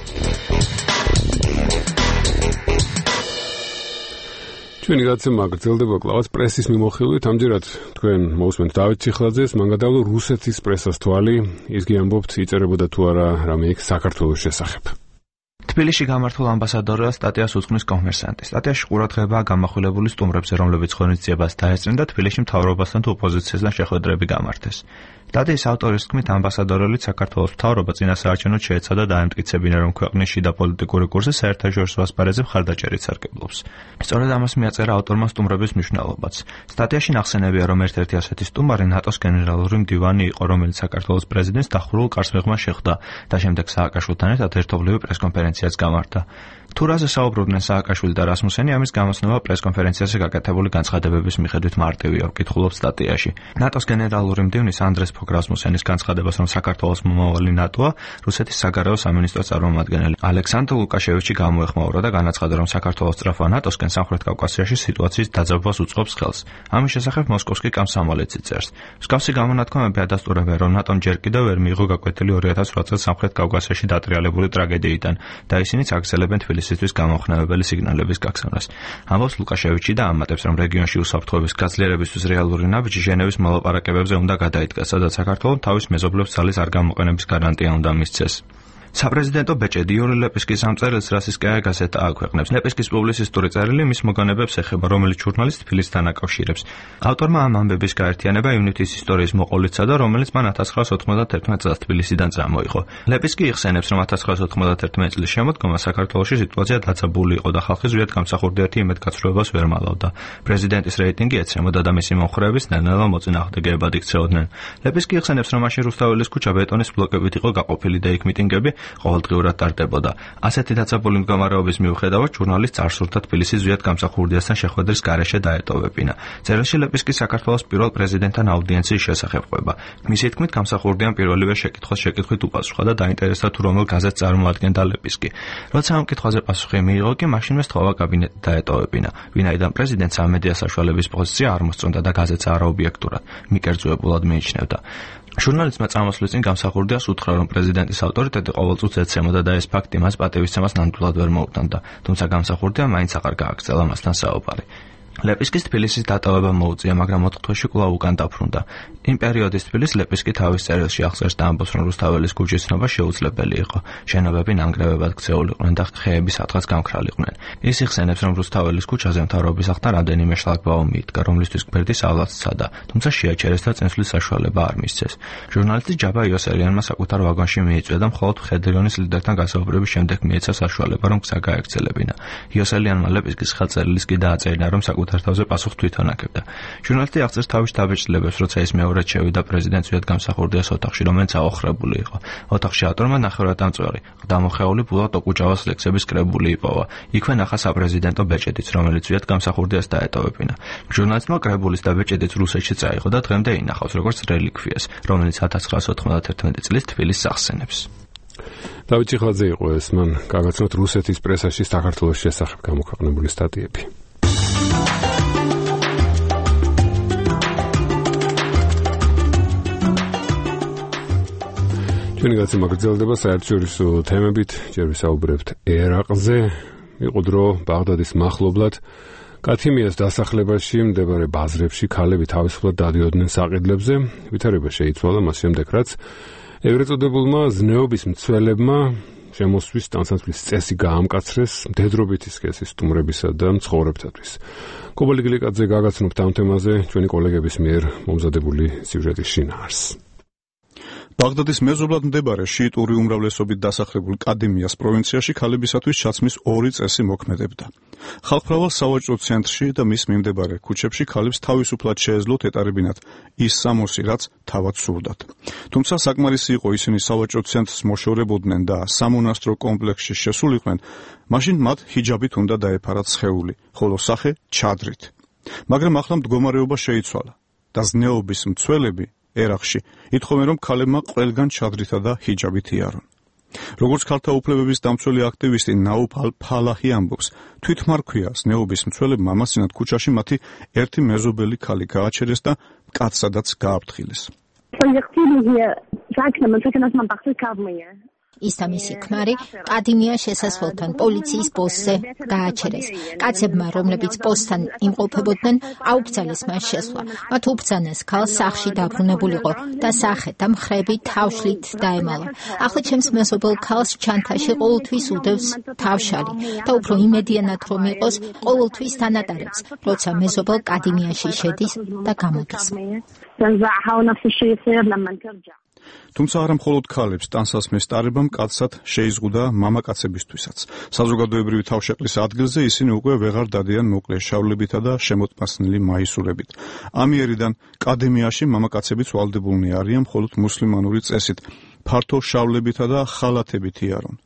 ჩვენი გადაცემა გრძელდება კლავაც პრესის მიმოხილვით, ამჯერად თქვენ მოусმენთ დავით ციხლაძეს, მან გადავლა რუსეთის პრესას თვალი, ის გიამბობთ იწერებოდა თუ არა რამე იქ საქართველოს შესახებ. თბილისში გამართულ ამბასადორად სტატიას უძღვნის კომერსანტი. სტატიაში ყურადღებაა გამახვილებული სტუმრებზე, რომლებიც ღონისძიებას დაესწრნენ და თბილისში მთავრობასთან თუ ოპოზიციასთან შეხვედრები გამართეს. სტატიის ავტორის თქმით, ამბასადორებით საქართველოს მთავრობა წინასაარჩევნოდ შეეცადა დაემტკიცებინა, რომ ქვეყნის შიდა პოლიტიკური კურსი საერთაშორისო ასპარეზზე მხარდაჭერით სარგებლობს. სწორედ ამას მიაწერა ავტორმა სტუმრების მნიშვნელობაც. სტატიაში ნახსენებია, რომ ერთ-ერთი ასეთი სტუმარი ნატოს გენერალური მდივანი იყო, რომელიც საქართველოს პრეზიდენტს დახურულ კარს მიღმა შეხვდა და შემდეგ სააკაშვილთან ერთად ერთობლივი პრესკონფერენციაც გამართა. თუ რაზე საუბრობდნენ სააკაშვილი და რასმუსენი, ამის გამოსნობა პრესკონფერენციაზე გაკეთებული განცხადებების მიხედვით მარტივია, ვკითხულობ სტატიაში. ნატოს გენერალური მდივნის ანდრეს ფოგ რასმუსენის განცხადებას, რომ საქართველოს მომავალი ნატოა, რუსეთის საგარეო სამინისტროს წარმომადგენელი ალექსანდრ ლუკაშევიჩი გამოეხმაურა და განაცხადა, რომ საქართველოს სწრაფვა ნატოსკენ სამხრეთ კავკასიაში სიტუაციის დაძაბვას უწყობს ხელს. ამის შესახებ მოსკოვს კი კამსამოლეცი წერს. მსგავსი გამონათქვამები ადასტურებენ, რომ ნატომ ჯერ კიდევ ვერ მიიღო გაკვეთილი ორი ათას ოთხ წელს სამხრეთ კავკასიაში დატრიალებული ტრაგედიიდან და ისინიც აგრძელებენ თბილისისთვის გამომხნევებელი სიგნალების გაგზავნას. ამბობს ლუკაშევიჩი და ამატებს, რომ რეგიონში უსაფრთხოების გაძლიერებისთვის რეალური ნაბიჯი ჟენევის მოლაპარაკებებზე უნდა გადაიდგას, სადაც საქართველოს თავის მეზობლებს ძალის არ გამოყენების გარანტია უნდა მისცეს. საპრეზიდენტო ბეჭედი იური ლეპისკის ამ წერილს რასისკაია გაზეტა აქვეყნებს. ლეპისკის პუბლიცისტური წერილი მის მოგონებებს ეხება, რომელიც ჟურნალისტ თბილისთან აკავშირებს. ავტორმა ამ ამბების გაერთიანება ივნითის ისტორიის მოყოლიცა და რომელიც მან ათას ცხრაას ოთხმოცდათერთმეტ წელს თბილისიდან წამოიღო. ლეპისკი იხსენებს, რომ ათას ცხრაას ოთხმოცდათერთმეტ წლის შემოდგომა საქართველოში სიტუაცია დაძაბული იყო და ხალხი ზუსტად გამსახურდიერთი იმედგაცრუებას ვერ მალავდა. პრეზიდენტის რეიტინგი ეცემოდა და მისი მომხრეების ნელ-ნელა მოწინააღმდეგეებად იქცეოდნენ. ლეპისკი იხსენებს, რომ მაშინ რუსთაველის ქუჩა ბეტონის ბლოკებით იყო გაყოფილი და იქ მიტინგები ყოველდღიურად ტარდებოდა. ასეთი დაძაბული მდგომარეობის მიუხედავად ჟურნალისტს არ სურდა თბილისის ზვიად გამსახურდიასთან შეხვედრის გარეშე დაეტოვებინა. წერილში ლეპისკი საქართველოს პირველ პრეზიდენტთან აუდიენციის შესახებ ყვება. მისი თქმით, გამსახურდიამ პირველივე შეკითხვას შეკითხვით უპასუხა და დაინტერესდა თუ რომელ გაზეთს წარმოადგენდა ლეპისკი. როცა ამ კითხვაზე პასუხი მიიღო, კი მაშინვე სთხოვა კაბინეტი დაეტოვებინა. ვინაიდან პრეზიდენტს ამ მედია საშუალების პოზიცია არ მოსწონდა და გაზეთს არაობიექტურად, მიკერძოებულად მიიჩნევდა. ჟურნალისტმა წამოსვლის წინ გამსახურდიას უთხრა, რომ პრეზიდენტის ავტორიტეტი ყოველწუთს ეცემოდა და ეს ფაქტი მას პატივისცემას ნამდვილად ვერ მოუტანდა, თუმცა გამსახურდიამ მაინც აღარ გააგრძელა მასთან საუბარი. ლეპისკის თბილისის დატოვება მოუწია, მაგრამ ოთხ თვეში კვლავ უკან დაბრუნდა. იმ პერიოდის თბილისს ლეპისკი თავის წერილში აღწერს და ამბობს, რომ რუსთაველის ქუჩის ცნობა შეუძლებელი იყო. შენობები ნანგრევებად ქცეულიყვნენ და ხეები სადღაც გამქრალიყვნენ. ის იხსენებს, რომ რუსთაველის ქუჩაზე მთავრობის აღთან რამდენიმე შლაგბაუმ მიდგა, რომლისთვის გვერდის ავლაც სცადა, თუმცა შეაჩერეს და წინსვლის საშუალება არ მისცეს. ჟურნალისტი ჯაბა იოსელიანმა საკუთარ ვაგონში მიიწვია და მხოლოდ მხედრიონის ლიდერთან გასაუბრების შემდეგ მიეცა საშუალება, რომ გზა გაეგრძელებინა. იოსელიანმა ლეპისკის ხელწერილის კი დააწერინა, რომ თავზე პასუხს თვითონ აკებდა. ჟურნალისტი აღწერს თავის დაბეჭდილებას, როცა ის მეორედ შევიდა პრეზიდენტს ზვიად გამსახურდიას ოთახში, რომელიც აოხრებული იყო. ოთახში ავტორმა ნახევრადამწვარი, ყდამოხეული ბულად ოკუჯავას ლექსების კრებული იპოვა. იქვე ნახა საპრეზიდენტო ბეჭედიც, რომელიც ზვიად გამსახურდიას დაეტოვებინა. ჟურნალისტმა კრებულის და ბეჭედიც რუსეთში წაიღო და დღემდე ინახავს როგორც რელიკვიას, რომელიც ათას ცხრაას ოთხმოცდათერთმეტ წლის თბილისს ახსენებს. დავით ჩიხლაძე იყო ეს, მან გაგაცნოთ რუსეთის პრესაში საქართველოს შესახებ გამოქვეყნებული სტატიები. ჩვენი გაცემა გრძელდება საერთაშორისო თემებით, ჯერ ვისაუბრებთ ერაყზე. იყო დრო ბაღდადის მახლობლად კათიმიას დასახლებაში მდებარე ბაზრებში ქალები თავისუფლად დადიოდნენ საყიდლებზე. ვითარება შეიცვალა მას შემდეგ, რაც ეგრეთ წოდებულმა ზნეობის მცველებმა შემოსვლის ტანსაცმლის წესი გაამკაცრეს მდედრობითი სქესის სტუმრებისა და მცხოვრებთათვის. კობალი გლიკაძე გაგაცნობთ ამ თემაზე ჩვენი კოლეგების მიერ მომზადებული სიუჟეტის შინაარსს. ბაღდადის მეზობლად მდებარე შიიტური უმრავლესობით დასახლებულ კადიმიას პროვინციაში ქალებისათვის ჩაცმის ორი წესი მოქმედებდა. ხალხმრავალ სავაჭრო ცენტრში და მის მიმდებარე ქუჩებში ქალებს თავისუფლად შეეძლოთ ეტარებინათ ის სამოსი, რაც თავად სურდათ. თუმცა საკმარისი იყო ისინი სავაჭრო ცენტრს მოშორებოდნენ და სამონასტრო კომპლექსში შესულიყვნენ, მაშინ მათ ჰიჯაბით უნდა დაეფარათ სხეული, ხოლო სახე ჩადრით. მაგრამ ახლა მდგომარეობა შეიცვალა და ზნეობის მცველები ერაყში ითხოვენ, რომ ქალებმა ყველგან ჩადრითა და ჰიჯაბით იარონ. როგორც ქალთა უფლებების დამცველი აქტივისტი ნაუფ ალ-ფალაჰი ამბობს, თვითმარქვია ზნეობის მცველებმა ამასინათ ქუჩაში მათი ერთი მეზობელი ქალი გააჩერეს და კაცადაც გააფრთხილეს. ის და მისი ქმარი კადიმია შესასვლელთან პოლიციის პოსტზე გააჩერეს. კაცებმა, რომლებიც პოსტთან იმყოფებოდნენ, აუკრძალეს მას შესვლა. მათ უბრძანეს ქალს სახლში დაბრუნებულიყო და სახე და მხრები თავშლით დაემალა. ახლა ჩემს მეზობელ ქალს ჩანთაში ყოველთვის უდევს თავშალი და უფრო იმედიანად რომ იყოს, ყოველთვის თანატარებს, როცა მეზობელ კადიმიაში შედის და გამოდის. თუმცა არა მხოლოდ ქალებს ტანსაცმლის ტარებამ კაცად შეიზღუდა მამაკაცებისთვისაც. საზოგადოებრივი თავშეყრის ადგილზე ისინი უკვე ვეღარ დადიან მოკლე შავლებითა და შემოტმასნილი მაისურებით. ამიერიდან კადემიაში მამაკაცებიც ვალდებულნი არიან მხოლოდ მუსლიმანური წესით, ფართო შავლებითა და ხალათებით იარონ.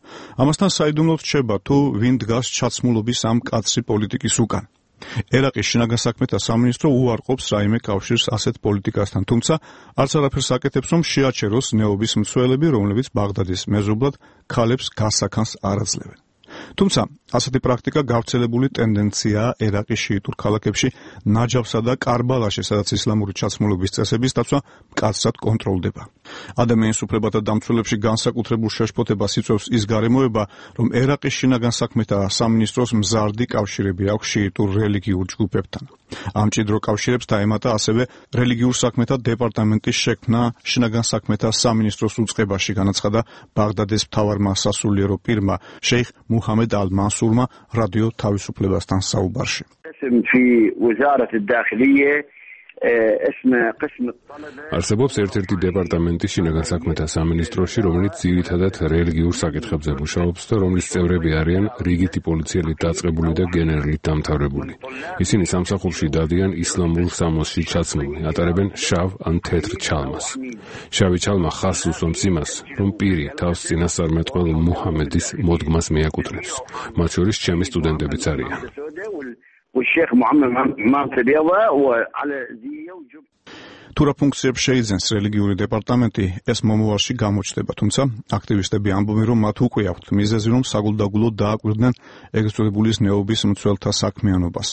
ამასთან საიდუმლოდ რჩება, თუ ვინ დგას ჩაცმულობის ამ კაცრი პოლიტიკის უკან. ერაყის შინაგან საქმეთა სამინისტრო უარყოფს რაიმე კავშირს ასეთ პოლიტიკასთან, თუმცა არც არაფერს აკეთებს, რომ შეაჩეროს ნეობის მცველები, რომლებიც ბაღდადის მეზობლად ქალებს გასაქანს არ აძლევენ. თუმცა ასეთი პრაქტიკა გავრცელებული ტენდენციაა ერაყის შიიტურ ქალაქებში, ნაჯაფსა და კარბალაში, სადაც ისლამური ჩაცმულობის წესების დაცვა მკაცრად კონტროლდება. ადამიანის უფლებათა დამცველებში განსაკუთრებულ შეშფოთებას იწვევს ის გარემოება, რომ ერაყის შინაგან საქმეთა სამინისტროს მზარდი კავშირები აქვს შიიტურ რელიგიურ ჯგუფებთან. ამ მჭიდრო კავშირებს დაემატა ასევე რელიგიურ საქმეთა დეპარტამენტის შექმნა შინაგან საქმეთა სამინისტროს უწყებაში, განაცხადა ბაღდადის მთავარმა სასულიერო პირმა შეიხ მუჰამედ ალ-მანსურმა რადიო თავისუფლებასთან საუბარში. არსებობს ერთ-ერთი დეპარტამენტი შინაგან საქმეთა სამინისტროში, რომელიც ძირითადად რელიგიურ საკითხებზე მუშაობს და რომლის წევრები არიან რიგითი პოლიციელით დაწყებული და გენერლით დამთავრებული. ისინი სამსახურში დადიან ისლამურ სამოსში ჩაცმული, ატარებენ შავ ან თეთრ ჩალმას. შავი ჩალმა ხაზს უსვამს იმას, რომ პირი თავს წინასწარმეტყველ მუჰამედის მოდგმას მიაკუთვნებს. მათ შორის ჩემი სტუდენტებიც არიან. თუ რა ფუნქციებს შეიძენს რელიგიური დეპარტამენტი, ეს მომავალში გამოჩნდება, თუმცა აქტივისტები ამბობენ, რომ მათ უკვე აქვთ მიზეზი, რომ საგულდაგულოდ დააკვირდნენ ეგრეთ წოდებული ნეობის მცველთა საქმიანობას.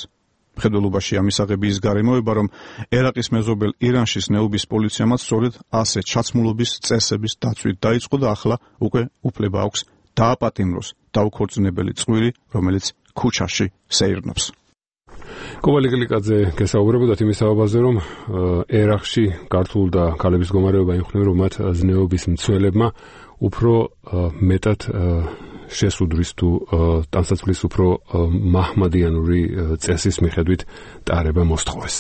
მხედველობაში ამისაღები ის გარემოება, რომ ერაყის მეზობელ ირანშის ნეობის პოლიციამაც სწორედ ასე ჩაცმულობის წესების დაცვით დაიწყო და ახლა უკვე უფლება აქვს დააპატიმროს დაუქორწინებელი წყვილი, რომელიც ქუჩაში სეირნობს. კოვალი გლიკაძე გესაუბრებოდათ იმის საბაბაზე, რომ ერაყში ქართულ და ქალების მდგომარეობა იმხნევა, რომ მათ ზნეობის მცველებმა უფრო მეტად შესუდრის თუ ტანსაცმლის უფრო მაჰმადიანური წესის მიხედვით ტარება მოსთხოვეს.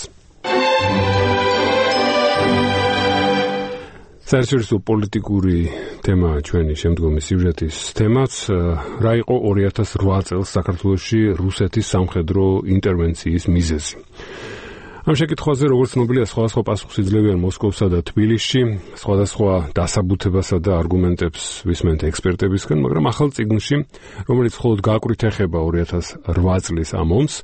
საერთაშორისო პოლიტიკური თემა ჩვენი შემდგომი სიუჟეტის თემაც რა იყო ორი ათას რვა წელს საქართველოში რუსეთის სამხედრო ინტერვენციის მიზეზი. ამ შეკითხვაზე როგორც ცნობილია, სხვადასხვა პასუხს იძლევიან მოსკოვსა და თბილისში, სხვადასხვა დასაბუთებასა და არგუმენტებს ვისმენთ ექსპერტებისგან, მაგრამ ახალ წიგნში, რომელიც მხოლოდ გააკვირით ეხება ორი ათას რვა წლის ამ ომს,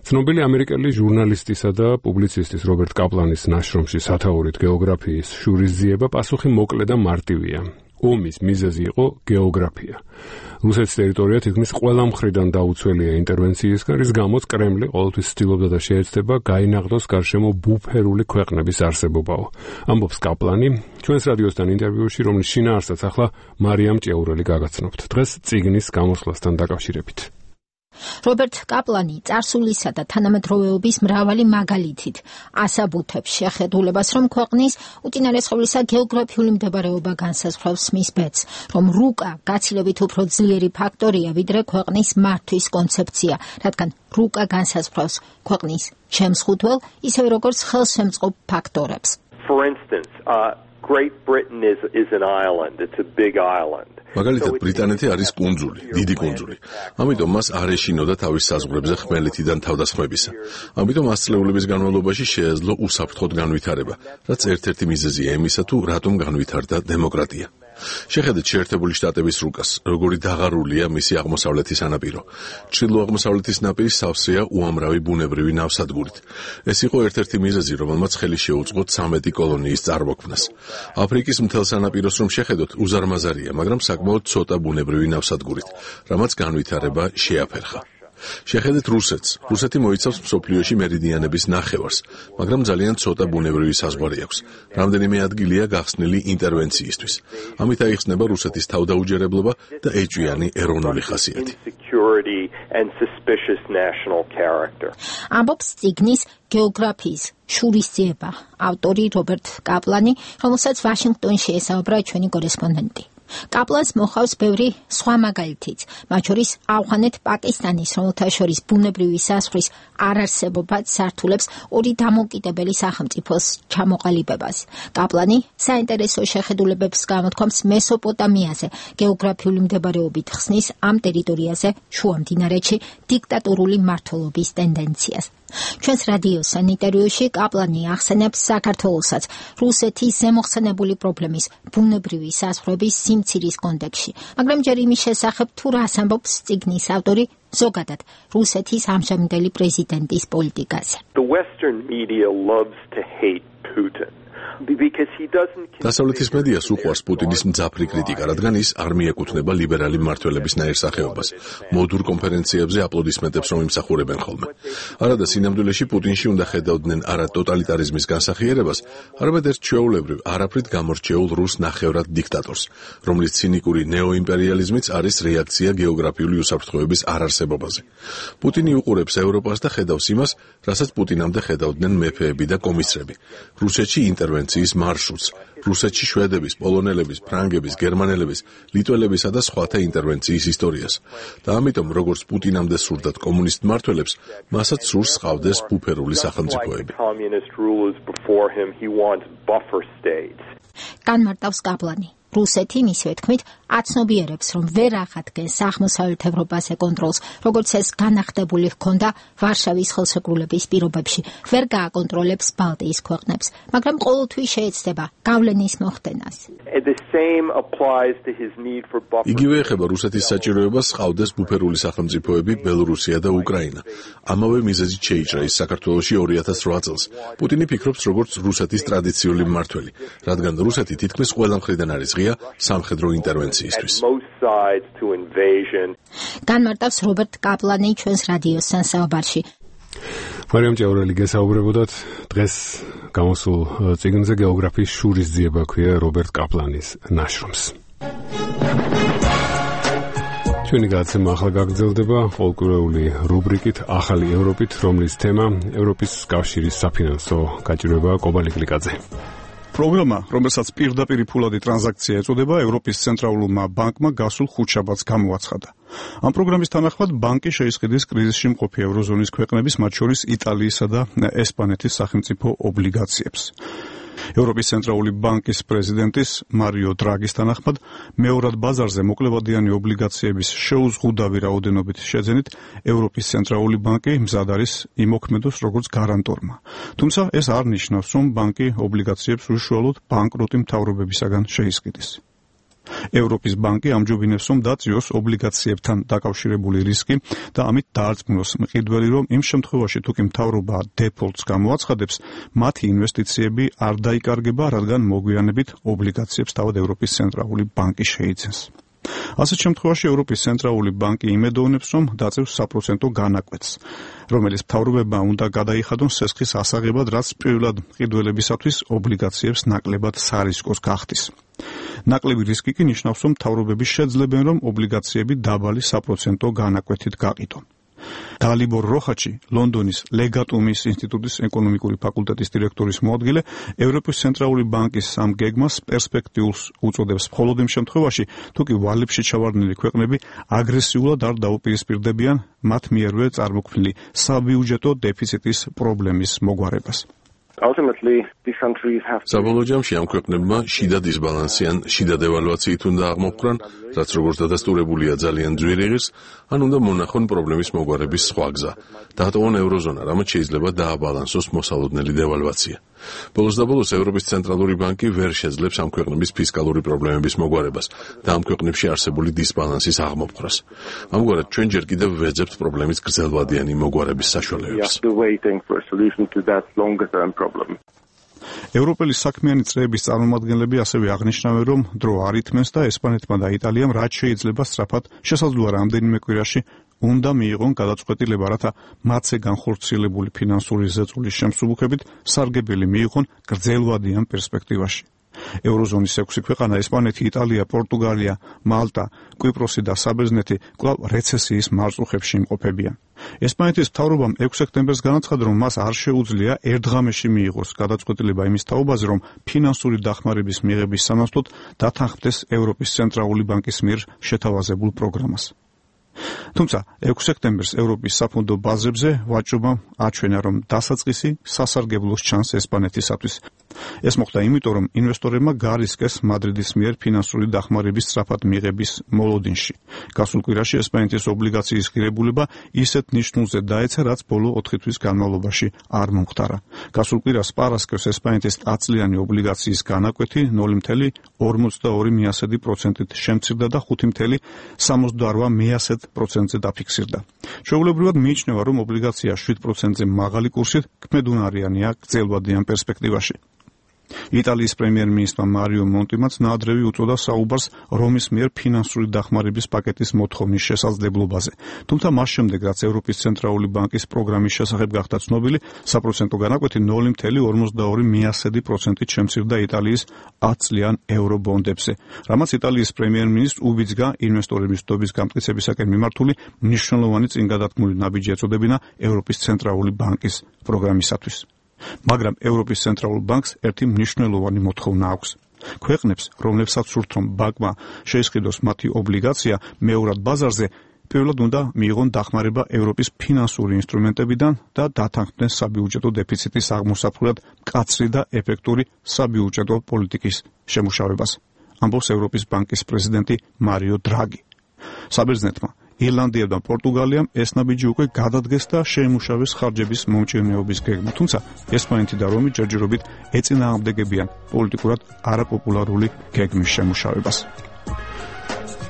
ცნობილი ამერიკელი ჟურნალისტისა და პუბლიცისტის რობერტ კაპლანის ნაშრომში სათაურით გეოგრაფიის შურისძიება პასუხი მოკლე და მარტივია. ომის მიზეზი იყო გეოგრაფია. რუსეთის ტერიტორია თითქმის ყველა მხრიდან დაუცველია ინტერვენციისგან, რის გამოც კრემლი ყოველთვის ცდილობდა და შეეცდება გაინაღდოს გარშემო ბუფერული ქვეყნების არსებობაო. ამბობს კაპლანი ჩვენს რადიოსთან ინტერვიუში, რომლის შინაარსსაც ახლა მარიამ ჭეურელი გაგაცნობთ. დღეს წიგნის გამოსვლასთან დაკავშირებით. რობერტ კაპლანი წარსულისა და თანამედროვეობის მრავალი მაგალითით ასაბუთებს შეხედულებას, რომ ქვეყნის უწინარესხევლისა გეოგრაფიული მდებარეობა განსაზღვრავს მის ბედს, რომ რუკა გაცილებით უფრო ძლიერი ფაქტორია, ვიდრე ქვეყნის მართვის კონცეფცია, რადგან რუკა განსაზღვრავს ქვეყნის შემსხუთველ, ისევე როგორც ხელშემწყობ ფაქტორებს. For instance, uh, Great Britain is is an island. It's a big island. მაგალითად, ბრიტანეთი არის კუნძული, დიდი კუნძული. ამიტომ მას არ ეშინოდა თავის საზღვრებზე ხმელეთიდან თავდასხმებისა. ამიტომ ასწლეულების განმავლობაში შეეძლო უსაფრთხოდ განვითარება, რაც ერთ-ერთი მიზეზია იმისა, თუ რატომ განვითარდა დემოკრატია. შეხედეთ შეერთებული შტატების რუკას, როგორი დაღარულია მისი აღმოსავლეთის სანაპირო. ჩრდილო-აღმოსავლეთის ნაპირი სავსეა უამრავი ბუნებრივი ნავსადგურით. ეს იყო ერთ-ერთი მიზეზი, რომელმაც ხელი შეუწყო ცამეტი კოლონიის წარმოქმნას. აფრიკის მთელ სანაპიროს რომ შეხედოთ, უზარმაზარია, მაგრამ საკმაოდ ცოტა ბუნებრივი ნავსადგურით, რამაც განვითარება შეაფერხა. შეხედეთ რუსეთს. რუსეთი მოიცავს მსოფლიოში მერიდიანების ნახევარს, მაგრამ ძალიან ცოტა ბუნებრივი საზღვარი აქვს. რამდენიმე ადგილია გახსნილი ინტერვენციისთვის. ამით აიხსნება რუსეთის თავდაუჯერებლობა და ეჭვიანი ეროვნული ხასიათი. ამბობს წიგნის გეოგრაფიის შურისძიება ავტორი რობერტ კაპლანი, რომელსაც ვაშინგტონში ესაუბრა ჩვენი კორესპონდენტი. კაპლანს მოხავს ბევრი სხვა მაგალითიც, მათ შორის ავღანეთ-პაკისტანის, რომელთა შორის ბუნებრივი საზღვრის არარსებობაც სართულებს ორი დამოუკიდებელი სახელმწიფოს ჩამოყალიბებას. კაპლანი საინტერესო შეხედულებებს გამოთქვამს მესოპოტამიაზე, გეოგრაფიული მდებარეობით ხსნის ამ ტერიტორიაზე შუა მდინარეთში დიქტატორული მმართველობის ტენდენციას. ჩვენს რადიოსთან ინტერვიუში კაპლანი ახსენებს საქართველოსაც რუსეთის ზემოხსენებული პრობლემის ბუნებრივი საზღვრების სიმცირის კონტექსში, მაგრამ ჯერ იმის შესახებ თუ რას ამბობს წიგნის ავტორი ზოგადად რუსეთის ამჟამინდელი პრეზიდენტის პოლიტიკაზე. The Western media loves to hate Putin. დასავლეთის მედიას უყვარს პუტინის მძაფრი კრიტიკა, რადგან ის არ მიეკუთვნება ლიბერალი მმართველების ნაირ სახეობას. მოდურ კონფერენციებზე აპლოდისმენტებს რომ იმსახურებენ ხოლმე. არადა სინამდვილეში პუტინში უნდა ხედავდნენ არა ტოტალიტარიზმის განსახიერებას, არამედ ერთ ჩვეულებრივ, არაფრით გამორჩეულ რუს ნახევრად დიქტატორს, რომლის ცინიკური ნეოიმპერიალიზმიც არის რეაქცია გეოგრაფიული უსაფრთხოების არარსებობაზე. პუტინი უყურებს ევროპას და ხედავს იმას, რასაც პუტინამდე ხედავდნენ მეფეები და კომისრები. რუსეთში ინტერვენციის მარშრუტს, რუსეთში შვედების, პოლონელების, ფრანგების, გერმანელების, ლიტველებისა და სხვათა ინტერვენციის ისტორიას. და ამიტომ, როგორც პუტინამდე სურდათ კომუნისტ მმართველებს, მასაც სურს ჰყავდეს ბუფერული სახელმწიფოები. განმარტავს კაპლანი. რუსეთი, მისივე თქმით, აცნობიერებს, რომ ვერ ახადგენს აღმოსავლეთ ევროპაზე კონტროლს, როგორც ეს განახდებული ჰქონდა ვარშავის ხელშეკრულების პირობებში, ვერ გააკონტროლებს ბალტიის ქვეყნებს, მაგრამ ყოველთვის შეეცდება გავლენის მოხდენას. იგივე ეხება რუსეთის საჭიროებას ჰყავდეს ბუფერული სახელმწიფოები ბელორუსია და უკრაინა. ამავე მიზეზით შეიჭრა ის საქართველოში ორი ათას რვა წელს. პუტინი ფიქრობს როგორც რუსეთის ტრადიციული მმართველი, რადგან რუსეთი თითქმის ყველა მხრიდან არის ღია სამხედრო ინტერვენციისთვის. განმარტავს რობერტ კაპლანი ჩვენს რადიოსთან საუბარში. მარიამ ჭაურელი გესაუბრებოდათ დღეს გამოსულ წიგნზე გეოგრაფიის შურისძიება ქვია რობერტ კაპლანის ნაშრომს. ჩვენი გადაცემა ახლა გაგრძელდება ფოლკლორული რუბრიკით ახალი ევროპით, რომლის თემა ევროპის კავშირის საფინანსო გაჭირვებაა. კობალი კლიკაძე. პროგრამა, რომელსაც პირდაპირი ფულადი ტრანზაქცია ეწოდება, ევროპის ცენტრალურმა ბანკმა გასულ ხუთშაბათს გამოაცხადა. ამ პროგრამის თანახმად ბანკი შეისყიდის კრიზისში მყოფი ევროზონის ქვეყნების, მათ შორის იტალიისა და ესპანეთის სახელმწიფო ობლიგაციებს. ევროპის ცენტრალური ბანკის პრეზიდენტის მარიო დრაგის თანახმად, მეორად ბაზარზე მოკლებადიანი ობლიგაციების შეუზღუდავი რაოდენობით შეძენით, ევროპის ცენტრალური ბანკი მზად არის იმოქმედოს როგორც გარანტორმა. თუმცა ეს არ ნიშნავს, რომ ბანკი ობლიგაციებს უშუალოდ ბანკროტი მთავრობებისაგან შეისყიდის. ევროპის ბანკი ამჯობინებს, რომ დაწიოს ობლიგაციებთან დაკავშირებული რისკი და ამით დაარწმუნოს მყიდველი, რომ იმ შემთხვევაში თუ კი მთავრობა დეფოლტს გამოაცხადებს, მათი ინვესტიციები არ დაიკარგება, რადგან მოგვიანებით ობლიგაციებს თავად ევროპის ცენტრალური ბანკი შეიძენს. ასეთ შემთხვევაში ევროპის ცენტრალური ბანკი იმედოვნებს, რომ დაწევს საპროცენტო განაკვეთს, რომელიც მთავრობებმა უნდა გადაიხადონ სესხის ასაღებად, რაც პირველად მყიდველებისათვის ობლიგაციებს ნაკლებად სარისკოს გახდის. ნაკლები რისკი კი ნიშნავს, რომ მთავრობები შეძლებენ, რომ ობლიგაციები დაბალი საპროცენტო განაკვეთით გაყიდონ. დალიბორ როხაჩი, ლონდონის ლეგატუმის ინსტიტუტის ეკონომიკური ფაკულტეტის დირექტორის მოადგილე, ევროპის ცენტრალური ბანკის ამ გეგმას პერსპექტიულს უწოდებს მხოლოდ იმ შემთხვევაში, თუ კი ვალებში ჩავარდნილი ქვეყნები აგრესიულად არ დაუპირისპირდებიან მათ მიერვე წარმოქმნილი საბიუჯეტო დეფიციტის პრობლემის მოგვარებას. საბოლოო ჯამში ამ ქვეყნებმა შიდა დისბალანსი ან შიდა დევალვაციით უნდა აღმოფხვრან, რაც როგორც დადასტურებულია ძალიან ძვირი ღირს, ან უნდა მონახონ პრობლემის მოგვარების სხვა გზა. დაატოვონ ევროზონა, რამაც შეიძლება დააბალანსოს მოსალოდნელი დევალვაცია. ბოლოს და ბოლოს ევროპის ცენტრალური ბანკი ვერ შეძლებს ამ ქვეყნების ფისკალური პრობლემების მოგვარებას და ამ ქვეყნებში არსებული დისბალანსის აღმოფხვრას. ამგვარად ჩვენ ჯერ კიდევ ვეძებთ პრობლემის გრძელვადიანი მოგვარების საშუალებებს. ევროპელი საქმიანი წრეების წარმომადგენლები ასევე აღნიშნავენ, რომ დრო არ ითმენს და ესპანეთმა და იტალიამ რაც შეიძლება სწრაფად შესაძლოა რამდენიმე კვირაში უნდა მიიღონ გადაწყვეტილება, რათა მათზე განხორციელებული ფინანსური ზეწოლის შემსუბუქებით სარგებელი მიიღონ გრძელვადიან პერსპექტივაში. ევროზონის ექვსი ქვეყანა ესპანეთი, იტალია, პორტუგალია, მალტა, კვიპროსი და საბერძნეთი კვლავ რეცესიის მარწუხებში იმყოფებიან. ესპანეთის მთავრობამ ექვსი სექტემბერს განაცხადა, რომ მას არ შეუძლია ერთ ღამეში მიიღოს გადაწყვეტილება იმის თაობაზე, რომ ფინანსური დახმარების მიღების სანაცვლოდ დათანხმდეს ევროპის ცენტრალური ბანკის მიერ შეთავაზებულ პროგრამას. თუმცა ექვსი სექტემბერს ევროპის საფონდო ბაზრებზე ვაჭრობამ აჩვენა, რომ დასაწყისი სასარგებლოს ჩანს ესპანეთისათვის. ეს მოხდა იმიტომ, რომ ინვესტორებმა გარისკეს მადრიდის მიერ ფინანსური დახმარების სწრაფად მიღების მოლოდინში. გასულ კვირაში ესპანეთის ობლიგაციის ღირებულება ისეთ ნიშნულზე დაეცა, რაც ბოლო ოთხი თვის განმავლობაში არ მომხდარა. გასულ კვირას პარასკევს ესპანეთის ათწლიანი ობლიგაციის განაკვეთი ნული მცდე ორმოცდაორი პროცენტით შემცირდა და ხუთი მცდე სამოცდაორი პროცენტზე დაფიქსირდა. ჩვეულებრივად მიიჩნევა, რომ ობლიგაცია შვიდ პროცენტზე მაღალი კურსით ქმედუნარიანია გრძელვადიან პერსპექტივაში. იტალიის პრემიერ-მინისტრმა მარიო მონტიმაც ნაადრევი უწოდა საუბარს რომის მიერ ფინანსური დახმარების პაკეტის მოთხოვნის შესაძლებლობაზე. თუმცა მას შემდეგ, რაც ევროპის ცენტრალური ბანკის პროგრამის შესახებ გახდა ცნობილი, საპროცენტო განაკვეთი ნული მცდე ორმოცდაორი პროცენტით შემცირდა იტალიის ათწლიან ევრობონდებზე, რამაც იტალიის პრემიერ-მინისტრს უბიძგა ინვესტორების დობის გამტკიცებისაკენ მიმართული მნიშვნელოვანი წინგადადგმული ნაბიჯი ეწოდებინა ევროპის ცენტრალური ბანკის პროგრამისათვის. მაგრამ ევროპის ცენტრალურ ბანკს ერთი მნიშვნელოვანი მოთხოვნა აქვს. ქვეყნებს, რომლებსაც სურთ, რომ ბანკმა შეისყიდოს მათი ობლიგაცია მეორად ბაზარზე, პირველად უნდა მიიღონ დახმარება ევროპის ფინანსური ინსტრუმენტებიდან და დათანხმდნენ საბიუჯეტო დეფიციტის აღმოსაფხვრად მკაცრი და ეფექტური საბიუჯეტო პოლიტიკის შემუშავებას, ამბობს ევროპის ბანკის პრეზიდენტი მარიო დრაგი. საბერძნეთმა, ირლანდიამ და პორტუგალიამ ეს ნაბიჯი უკვე გადადგეს და შეიმუშავეს ხარჯების მომჭირნეობის გეგმა, თუმცა ესპანეთი და რომი ჯერჯერობით ეწინააღმდეგებიან პოლიტიკურად არაპოპულარული გეგმის შემუშავებას.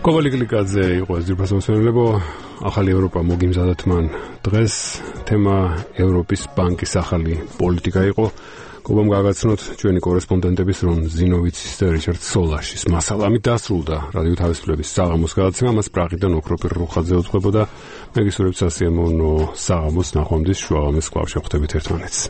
კოვალი გლიკაძე იყო ეს ძირფასო მსმენელებო. ახალი ევროპა მოგიმზადათ მან დღეს თემა ევროპის ბანკის ახალი პოლიტიკა იყო. გობამ გაგაცნოთ ჩვენი კორესპონდენტების რომ ზინოვიცის და რიჩარდ სოლაშის მასალა. ამით დასრულდა რადიო თავისუფლების საღამოს გადაცემა. მას პრაღიდან ოქროპირ რუხაძე უძღვებოდა. მე გისურვებთ სასიამოვნო საღამოს. ნახვამდის შუაღამეს კვლავ შევხვდებით ერთმანეთს.